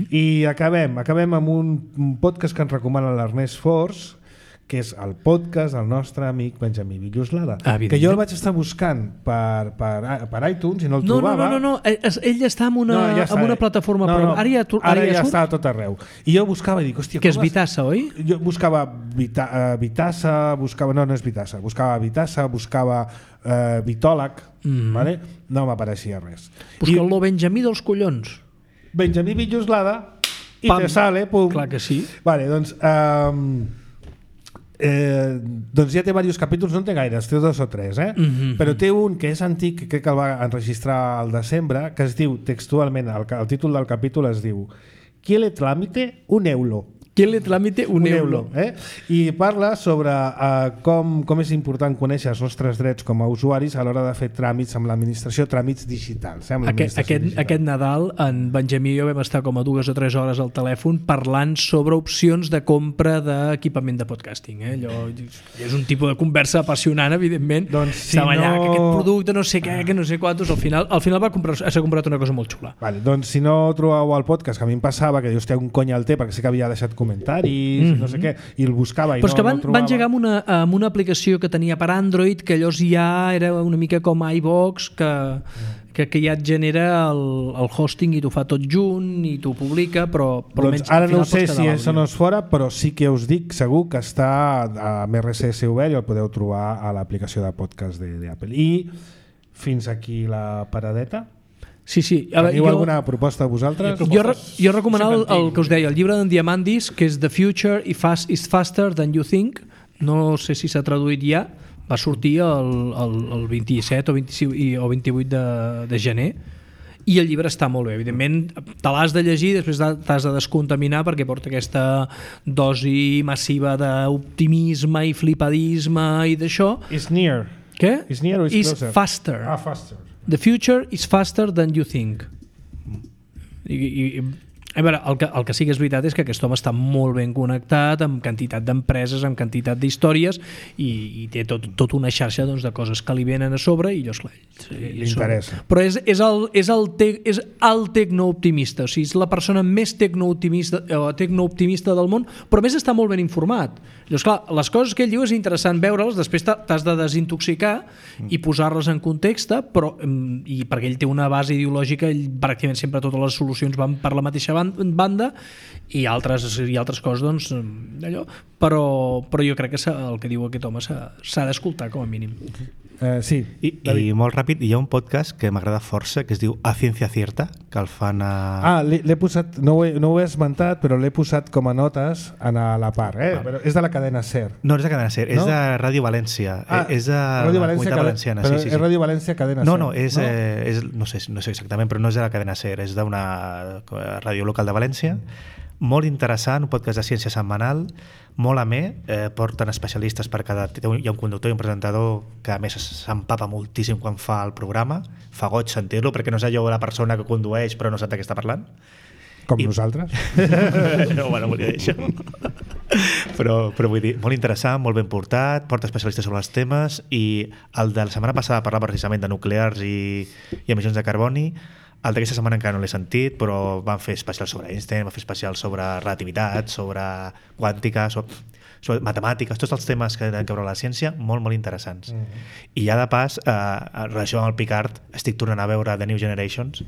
I acabem amb un podcast que ens recomana l'Ernest Fors, que és el podcast del nostre amic Benjamí Villoslada, que jo el vaig estar buscant per iTunes i no el trobava. No. Ell està en una plataforma, però ara ja ja surt. està a tot arreu. I jo buscava i dic, hòstia... Que és Vitassa, oi? Jo buscava Vitassa, no és Vitassa, buscava Vitassa, buscava Vitòleg, vale? No m'apareixia res. Busca-lo Benjamí dels collons. Benjamí Villoslada i Pam. te sale, pum. Clar que sí. Vale, doncs ja té diversos capítols, no en té gaires, té 2 o 3, però té un que és antic, crec que el va enregistrar al desembre, que es diu textualment, el títol del capítol es diu «Qui le tramite un euro». Qui le tramite un euro. I parla sobre com és important conèixer els nostres drets com a usuaris a l'hora de fer tràmits amb l'administració, tràmits digitals. Aquest Nadal en Benjamí i jo vam estar com a 2 o 3 hores al telèfon parlant sobre opcions de compra d'equipament de podcasting. Allò és un tipus de conversa apassionant, evidentment. Doncs estava allà, que aquest producte no sé què, que no sé quantos, al final s'ha comprat una cosa molt xula. Vale, doncs si no trobeu el podcast, que a mi em passava, que dius, té un cony al té, perquè sé que havia deixat comentaris, no sé què, i el buscava i però és que no el trobava. van llegar amb una aplicació que tenia per Android, que llavors ja era una mica com iVox, que ja et genera el hosting i t'ho fa tot junt i t'ho publica, però doncs ara no sé si això no és fora, però sí que us dic segur que està amb RSS obert i el podeu trobar a l'aplicació de podcast d'Apple. I fins aquí la paradeta. Sí. Teniu alguna proposta vosaltres? Jo recomanava el que us deia, el llibre d'en Diamandis, que és The Future is Faster Than You Think. No sé si s'ha traduït ja. Va sortir el 27 o 26 o 28 de gener. I el llibre està molt bé. Evidentment, te l'has de llegir, després t'has de descontaminar perquè porta aquesta dosi massiva d'optimisme i flipadisme i d'això. Is near. Què? Is near or is closer? Is faster. Faster. The future is faster than you think. A veure, el que sí que és veritat és que aquest home està molt ben connectat amb quantitat d'empreses, amb quantitat d'històries i té tot una xarxa de coses que li venen a sobre i llavors li interessa. Però és el tecnooptimista, o sigui, és la persona més tecnooptimista del món, però a més està molt ben informat. Llavors, clar, les coses que ell diu és interessant veure-les, després t'has de desintoxicar i posar-les en context, però perquè ell té una base ideològica, ell pràcticament sempre totes les solucions van per la mateixa banda i altres coses, doncs, allò. Però jo crec que el que diu aquest home s'ha d'escoltar com a mínim. Sí. I molt ràpid, hi ha un podcast que m'agrada força que es diu A Ciencia Cierta, que el fan a... l'he posat, no ho he esmentat, però l'he posat com a notes a la part, però és de la cadena SER. No és de cadena SER, és de Ràdio València. És de la Comunitat Valenciana. Però és Ràdio València, cadena SER. No sé exactament, però no és de la cadena SER, és d'una ràdio local de València. Molt interessant, un podcast de ciència setmanal, molt amè, porten especialistes per cada... Hi ha un conductor i un presentador que a més s'empapa moltíssim quan fa el programa, fa goig sentir-lo perquè no és allò la persona que condueix però no sap de què està parlant. Com nosaltres. No, bueno, volia dir això. Però vull dir, molt interessant, molt ben portat, porta especialistes sobre els temes i el de la setmana passada parlava precisament de nuclears i emissions de carboni. El d'aquesta setmana encara no l'he sentit, però van fer especials sobre Einstein, van fer especials sobre relativitat, sobre quàntica, sobre matemàtiques, tots els temes que tenen a veure la ciència, molt, molt interessants. I ja de pas, en relació amb el Picard, estic tornant a veure The New Generations,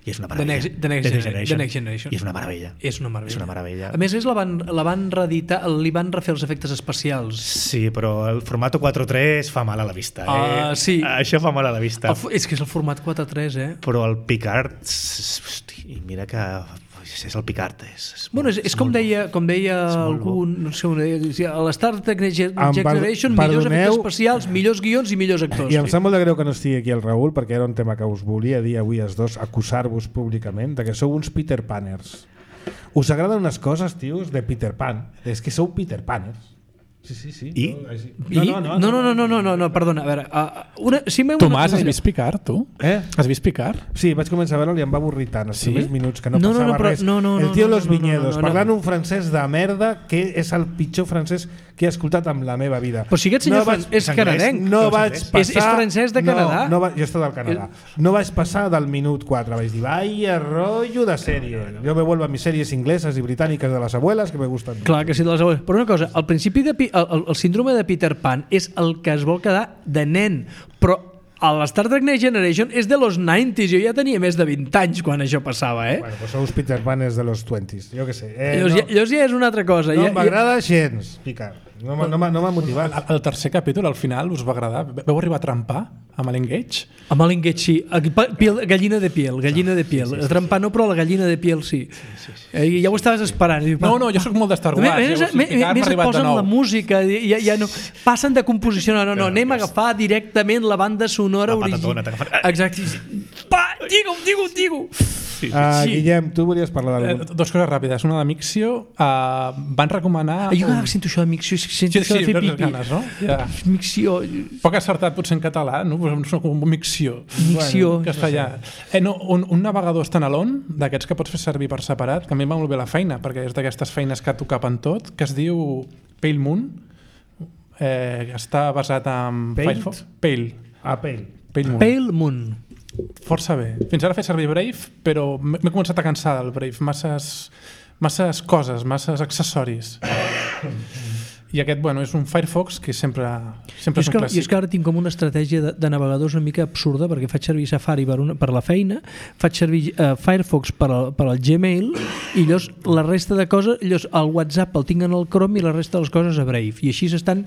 i és una meravella. The Next Generation. I és una meravella. És una meravella. A més, la van reeditar, li van refer els efectes especials. Sí, però el format 4:3 fa mal a la vista. Sí. Això fa mal a la vista. És que és el format 4:3, Però el Picard, hosti, mira que és el Picard. És com deia algú, no sé, a l'Star Trek Next Generation, millors efectes especials, millors guions i millors actors. I em sap molt de greu que no estigui aquí el Raül, perquè era un tema que us volia dir avui els dos, acusar-vos públicament de que sou uns Peter Paners. Us agraden unes coses, tios, de Peter Pan. És que sou Peter Paners. Sí. I? No, perdona, a veure... Tomàs, has vist Picard, tu? Has vist Picard? Sí, vaig començar a veure'l i em va avorrir tant els primers minuts que no No, passava però- res. no, El tio Los no, Viñedos, no. parlant un francès de merda que és el pitjor francès que he escoltat en la meva vida. Però si aquest senyor és canadenc. No vaig passar... És francès de Canadà. Jo estic del Canadà. No vaig passar del minut 4. Vaig dir, vaya rollo de sèrie. Yo me vuelvo a mis series inglesas y británicas de las abuelas que me gustan. Clar que sí, de les abueles. Però una cosa, al principi el síndrome de Peter Pan és el que es vol quedar de nen, però a l'Star Trek Next Generation és de los 90s. Jo ja tenia més de 20 anys quan això passava, Bueno, pues sous Peter Pan és de los 20s, jo què sé. Llavors ja és una altra cosa. No m'agrada gens, Picard. No m'ha motivat. El tercer capítol, al final, us va agradar? Veu arribar a trempar amb l'Engage? Amb l'Engage sí. Gallina de piel. Trempar no, però la gallina de piel sí. Ja ho estaves esperant. No, jo sóc molt d'Star Wars. Més et posen la música. Ja no, passen de composició. No, anem a agafar directament la banda sonora original. Exacte. Digue-ho. Guillem, tu volies parlar d'algú? Dos coses ràpides. Una de Mixio. Van recomanar... Jo sento això de Mixio. Sento això de fer pipi. Ganes, no? Ja. Mixio. Poc acertat potser en català, no? Sóc com Mixio. Castellà. Un navegador standalone, d'aquests que pots fer servir per separat, que a mi em va molt bé la feina, perquè és d'aquestes feines que t'ho capen tot, que es diu Pale Moon. Està basat en Firefox. Pale Moon. Força bé. Fins ara he fet servir Brave, però m'he començat a cansar del Brave. Masses coses, masses accessoris. I aquest, és un Firefox que sempre és un clàssic. I és que ara tinc com una estratègia de navegadors una mica absurda, perquè faig servir Safari per la feina, faig servir Firefox per al Gmail, i llavors la resta de coses, el WhatsApp el tinc en el Chrome i la resta de les coses a Brave. I així s'estan...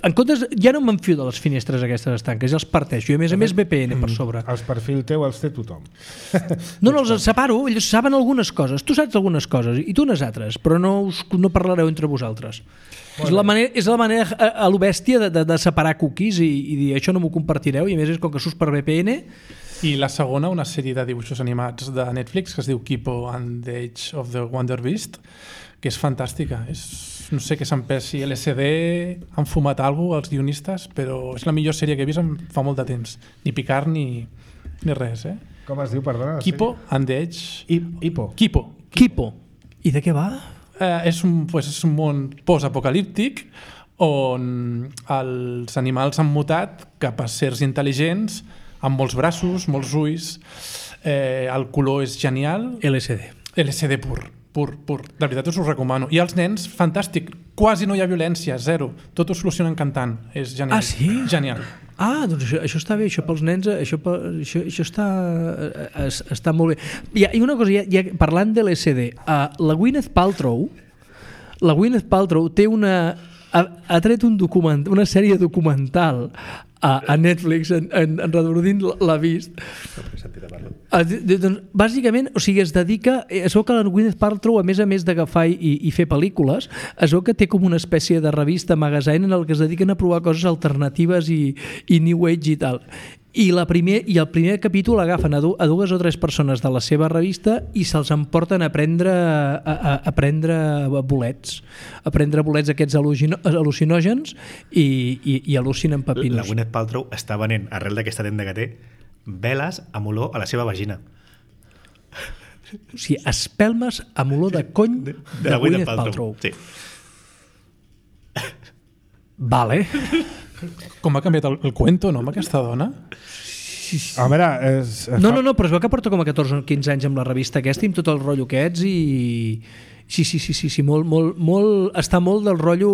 En comptes, ja no m'enfio de les finestres aquestes estanques, ja els parteixo, i a més VPN per sobre. Els perfil teu els té tothom. No, els separo, ells saben algunes coses, tu saps algunes coses i tu unes altres, però no parlareu entre vosaltres. És la manera a lo bèstia de separar cookies i dir això no m'ho compartireu, i a més és com que surts per VPN. I la segona, una sèrie de dibuixos animats de Netflix que es diu Kipo and the Age of the Wonder Beast, que és fantàstica. No sé què s'empessi LSD, han fumat alguna cosa els guionistes, però és la millor sèrie que he vist fa molt de temps. Ni Picard ni res. Com es diu, perdona? Kipo and the Age... Kipo. I de què va? És un món post-apocalíptic on els animals han mutat cap a sers intel·ligents amb molts braços, molts ulls, el color és genial. LSD pur. De veritat us ho recomano. I els nens, fantàstic, quasi no hi ha violència, zero, tot ho solucionen cantant, és genial. Ah, sí? Genial. Doncs això està bé, això pels nens, això està molt bé. I una cosa, parlant de l'LSD, la Gwyneth Paltrow té ha tret una sèrie documental a Netflix, en Redordint l'ha vist. Bàsicament, o sigui, es dedica, es veu que la Gwyneth Paltrow, a més d'agafar i fer pel·lícules, es veu que té com una espècie de revista magazine en el que es dediquen a provar coses alternatives i New Age i tal. I el primer capítol agafen a 2 o 3 persones de la seva revista i se'ls emporten a prendre bolets. A prendre bolets aquests al·lucinògens i al·lucinen pepinos. La Gwyneth Paltrow està venent, arrel d'aquesta tenda que té, veles amb olor a la seva vagina. O sigui, espelmes amb olor de cony de Gwyneth Paltrow. Sí. Vale. Com ha canviat el cuento, no, amb aquesta dona? A veure... No, però es veu que porta com a 14 o 15 anys amb la revista aquesta i amb tot el rotllo aquests i... Sí, està molt del rotllo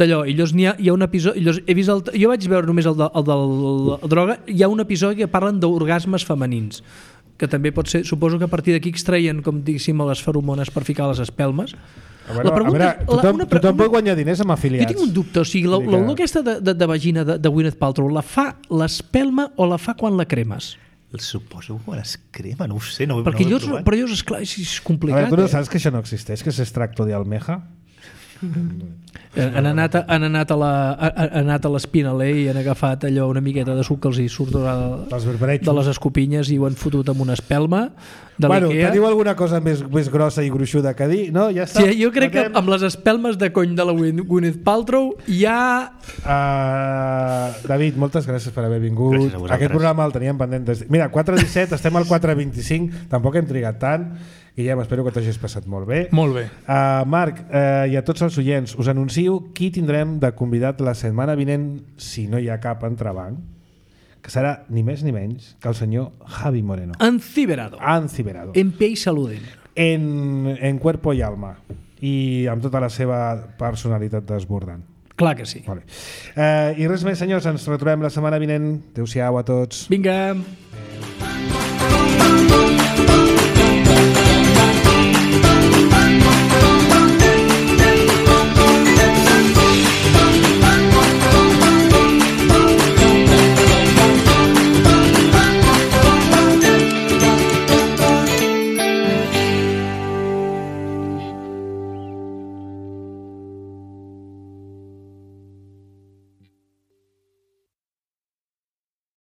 d'allò. I llavors hi ha un episodi... Jo vaig veure només el del droga. Hi ha un episodi que parlen d'orgasmes femenins, que també pot ser... Suposo que a partir d'aquí extraien, com diguéssim, les feromones per ficar les espelmes. A veure, tothom pot guanyar diners amb afiliats. Jo tinc un dubte, o sigui, l'olor aquesta de vagina de Gwyneth Paltrow la fa l'espelma o la fa quan la cremes? Suposo que quan es crema, no ho sé, no ho he provat. Però llavors, esclar, és complicat. A veure, tu no saps que això no existeix, que és extracto de almeja? Han anat a l'Espinaler i han agafat allò una miqueta de suc que els hi surt de les escopinyes i ho han fotut amb una espelma de l'Ikea. Teniu alguna cosa més grossa i gruixuda que dir? No, ja està. Sí, jo crec que amb les espelmes de cony de la Gwyneth Paltrow ja... David, moltes gràcies per haver vingut. Aquest programa el teníem pendent. Mira, 4:17, estem al 4:25, tampoc hem trigat tant. Guillem, espero que t'hagis passat molt bé. Molt bé. Marc, i a tots els oients, us anuncio qui tindrem de convidat la setmana vinent, si no hi ha cap entrebanc, que serà ni més ni menys que el senyor Javi Moreno. Enciberado. En pie y saluden. En cuerpo y alma. I amb tota la seva personalitat desbordant. Clar que sí. Vale. I res més, senyors, ens retrobem la setmana vinent. Adéu-siau a tots. Vinga. Adéu.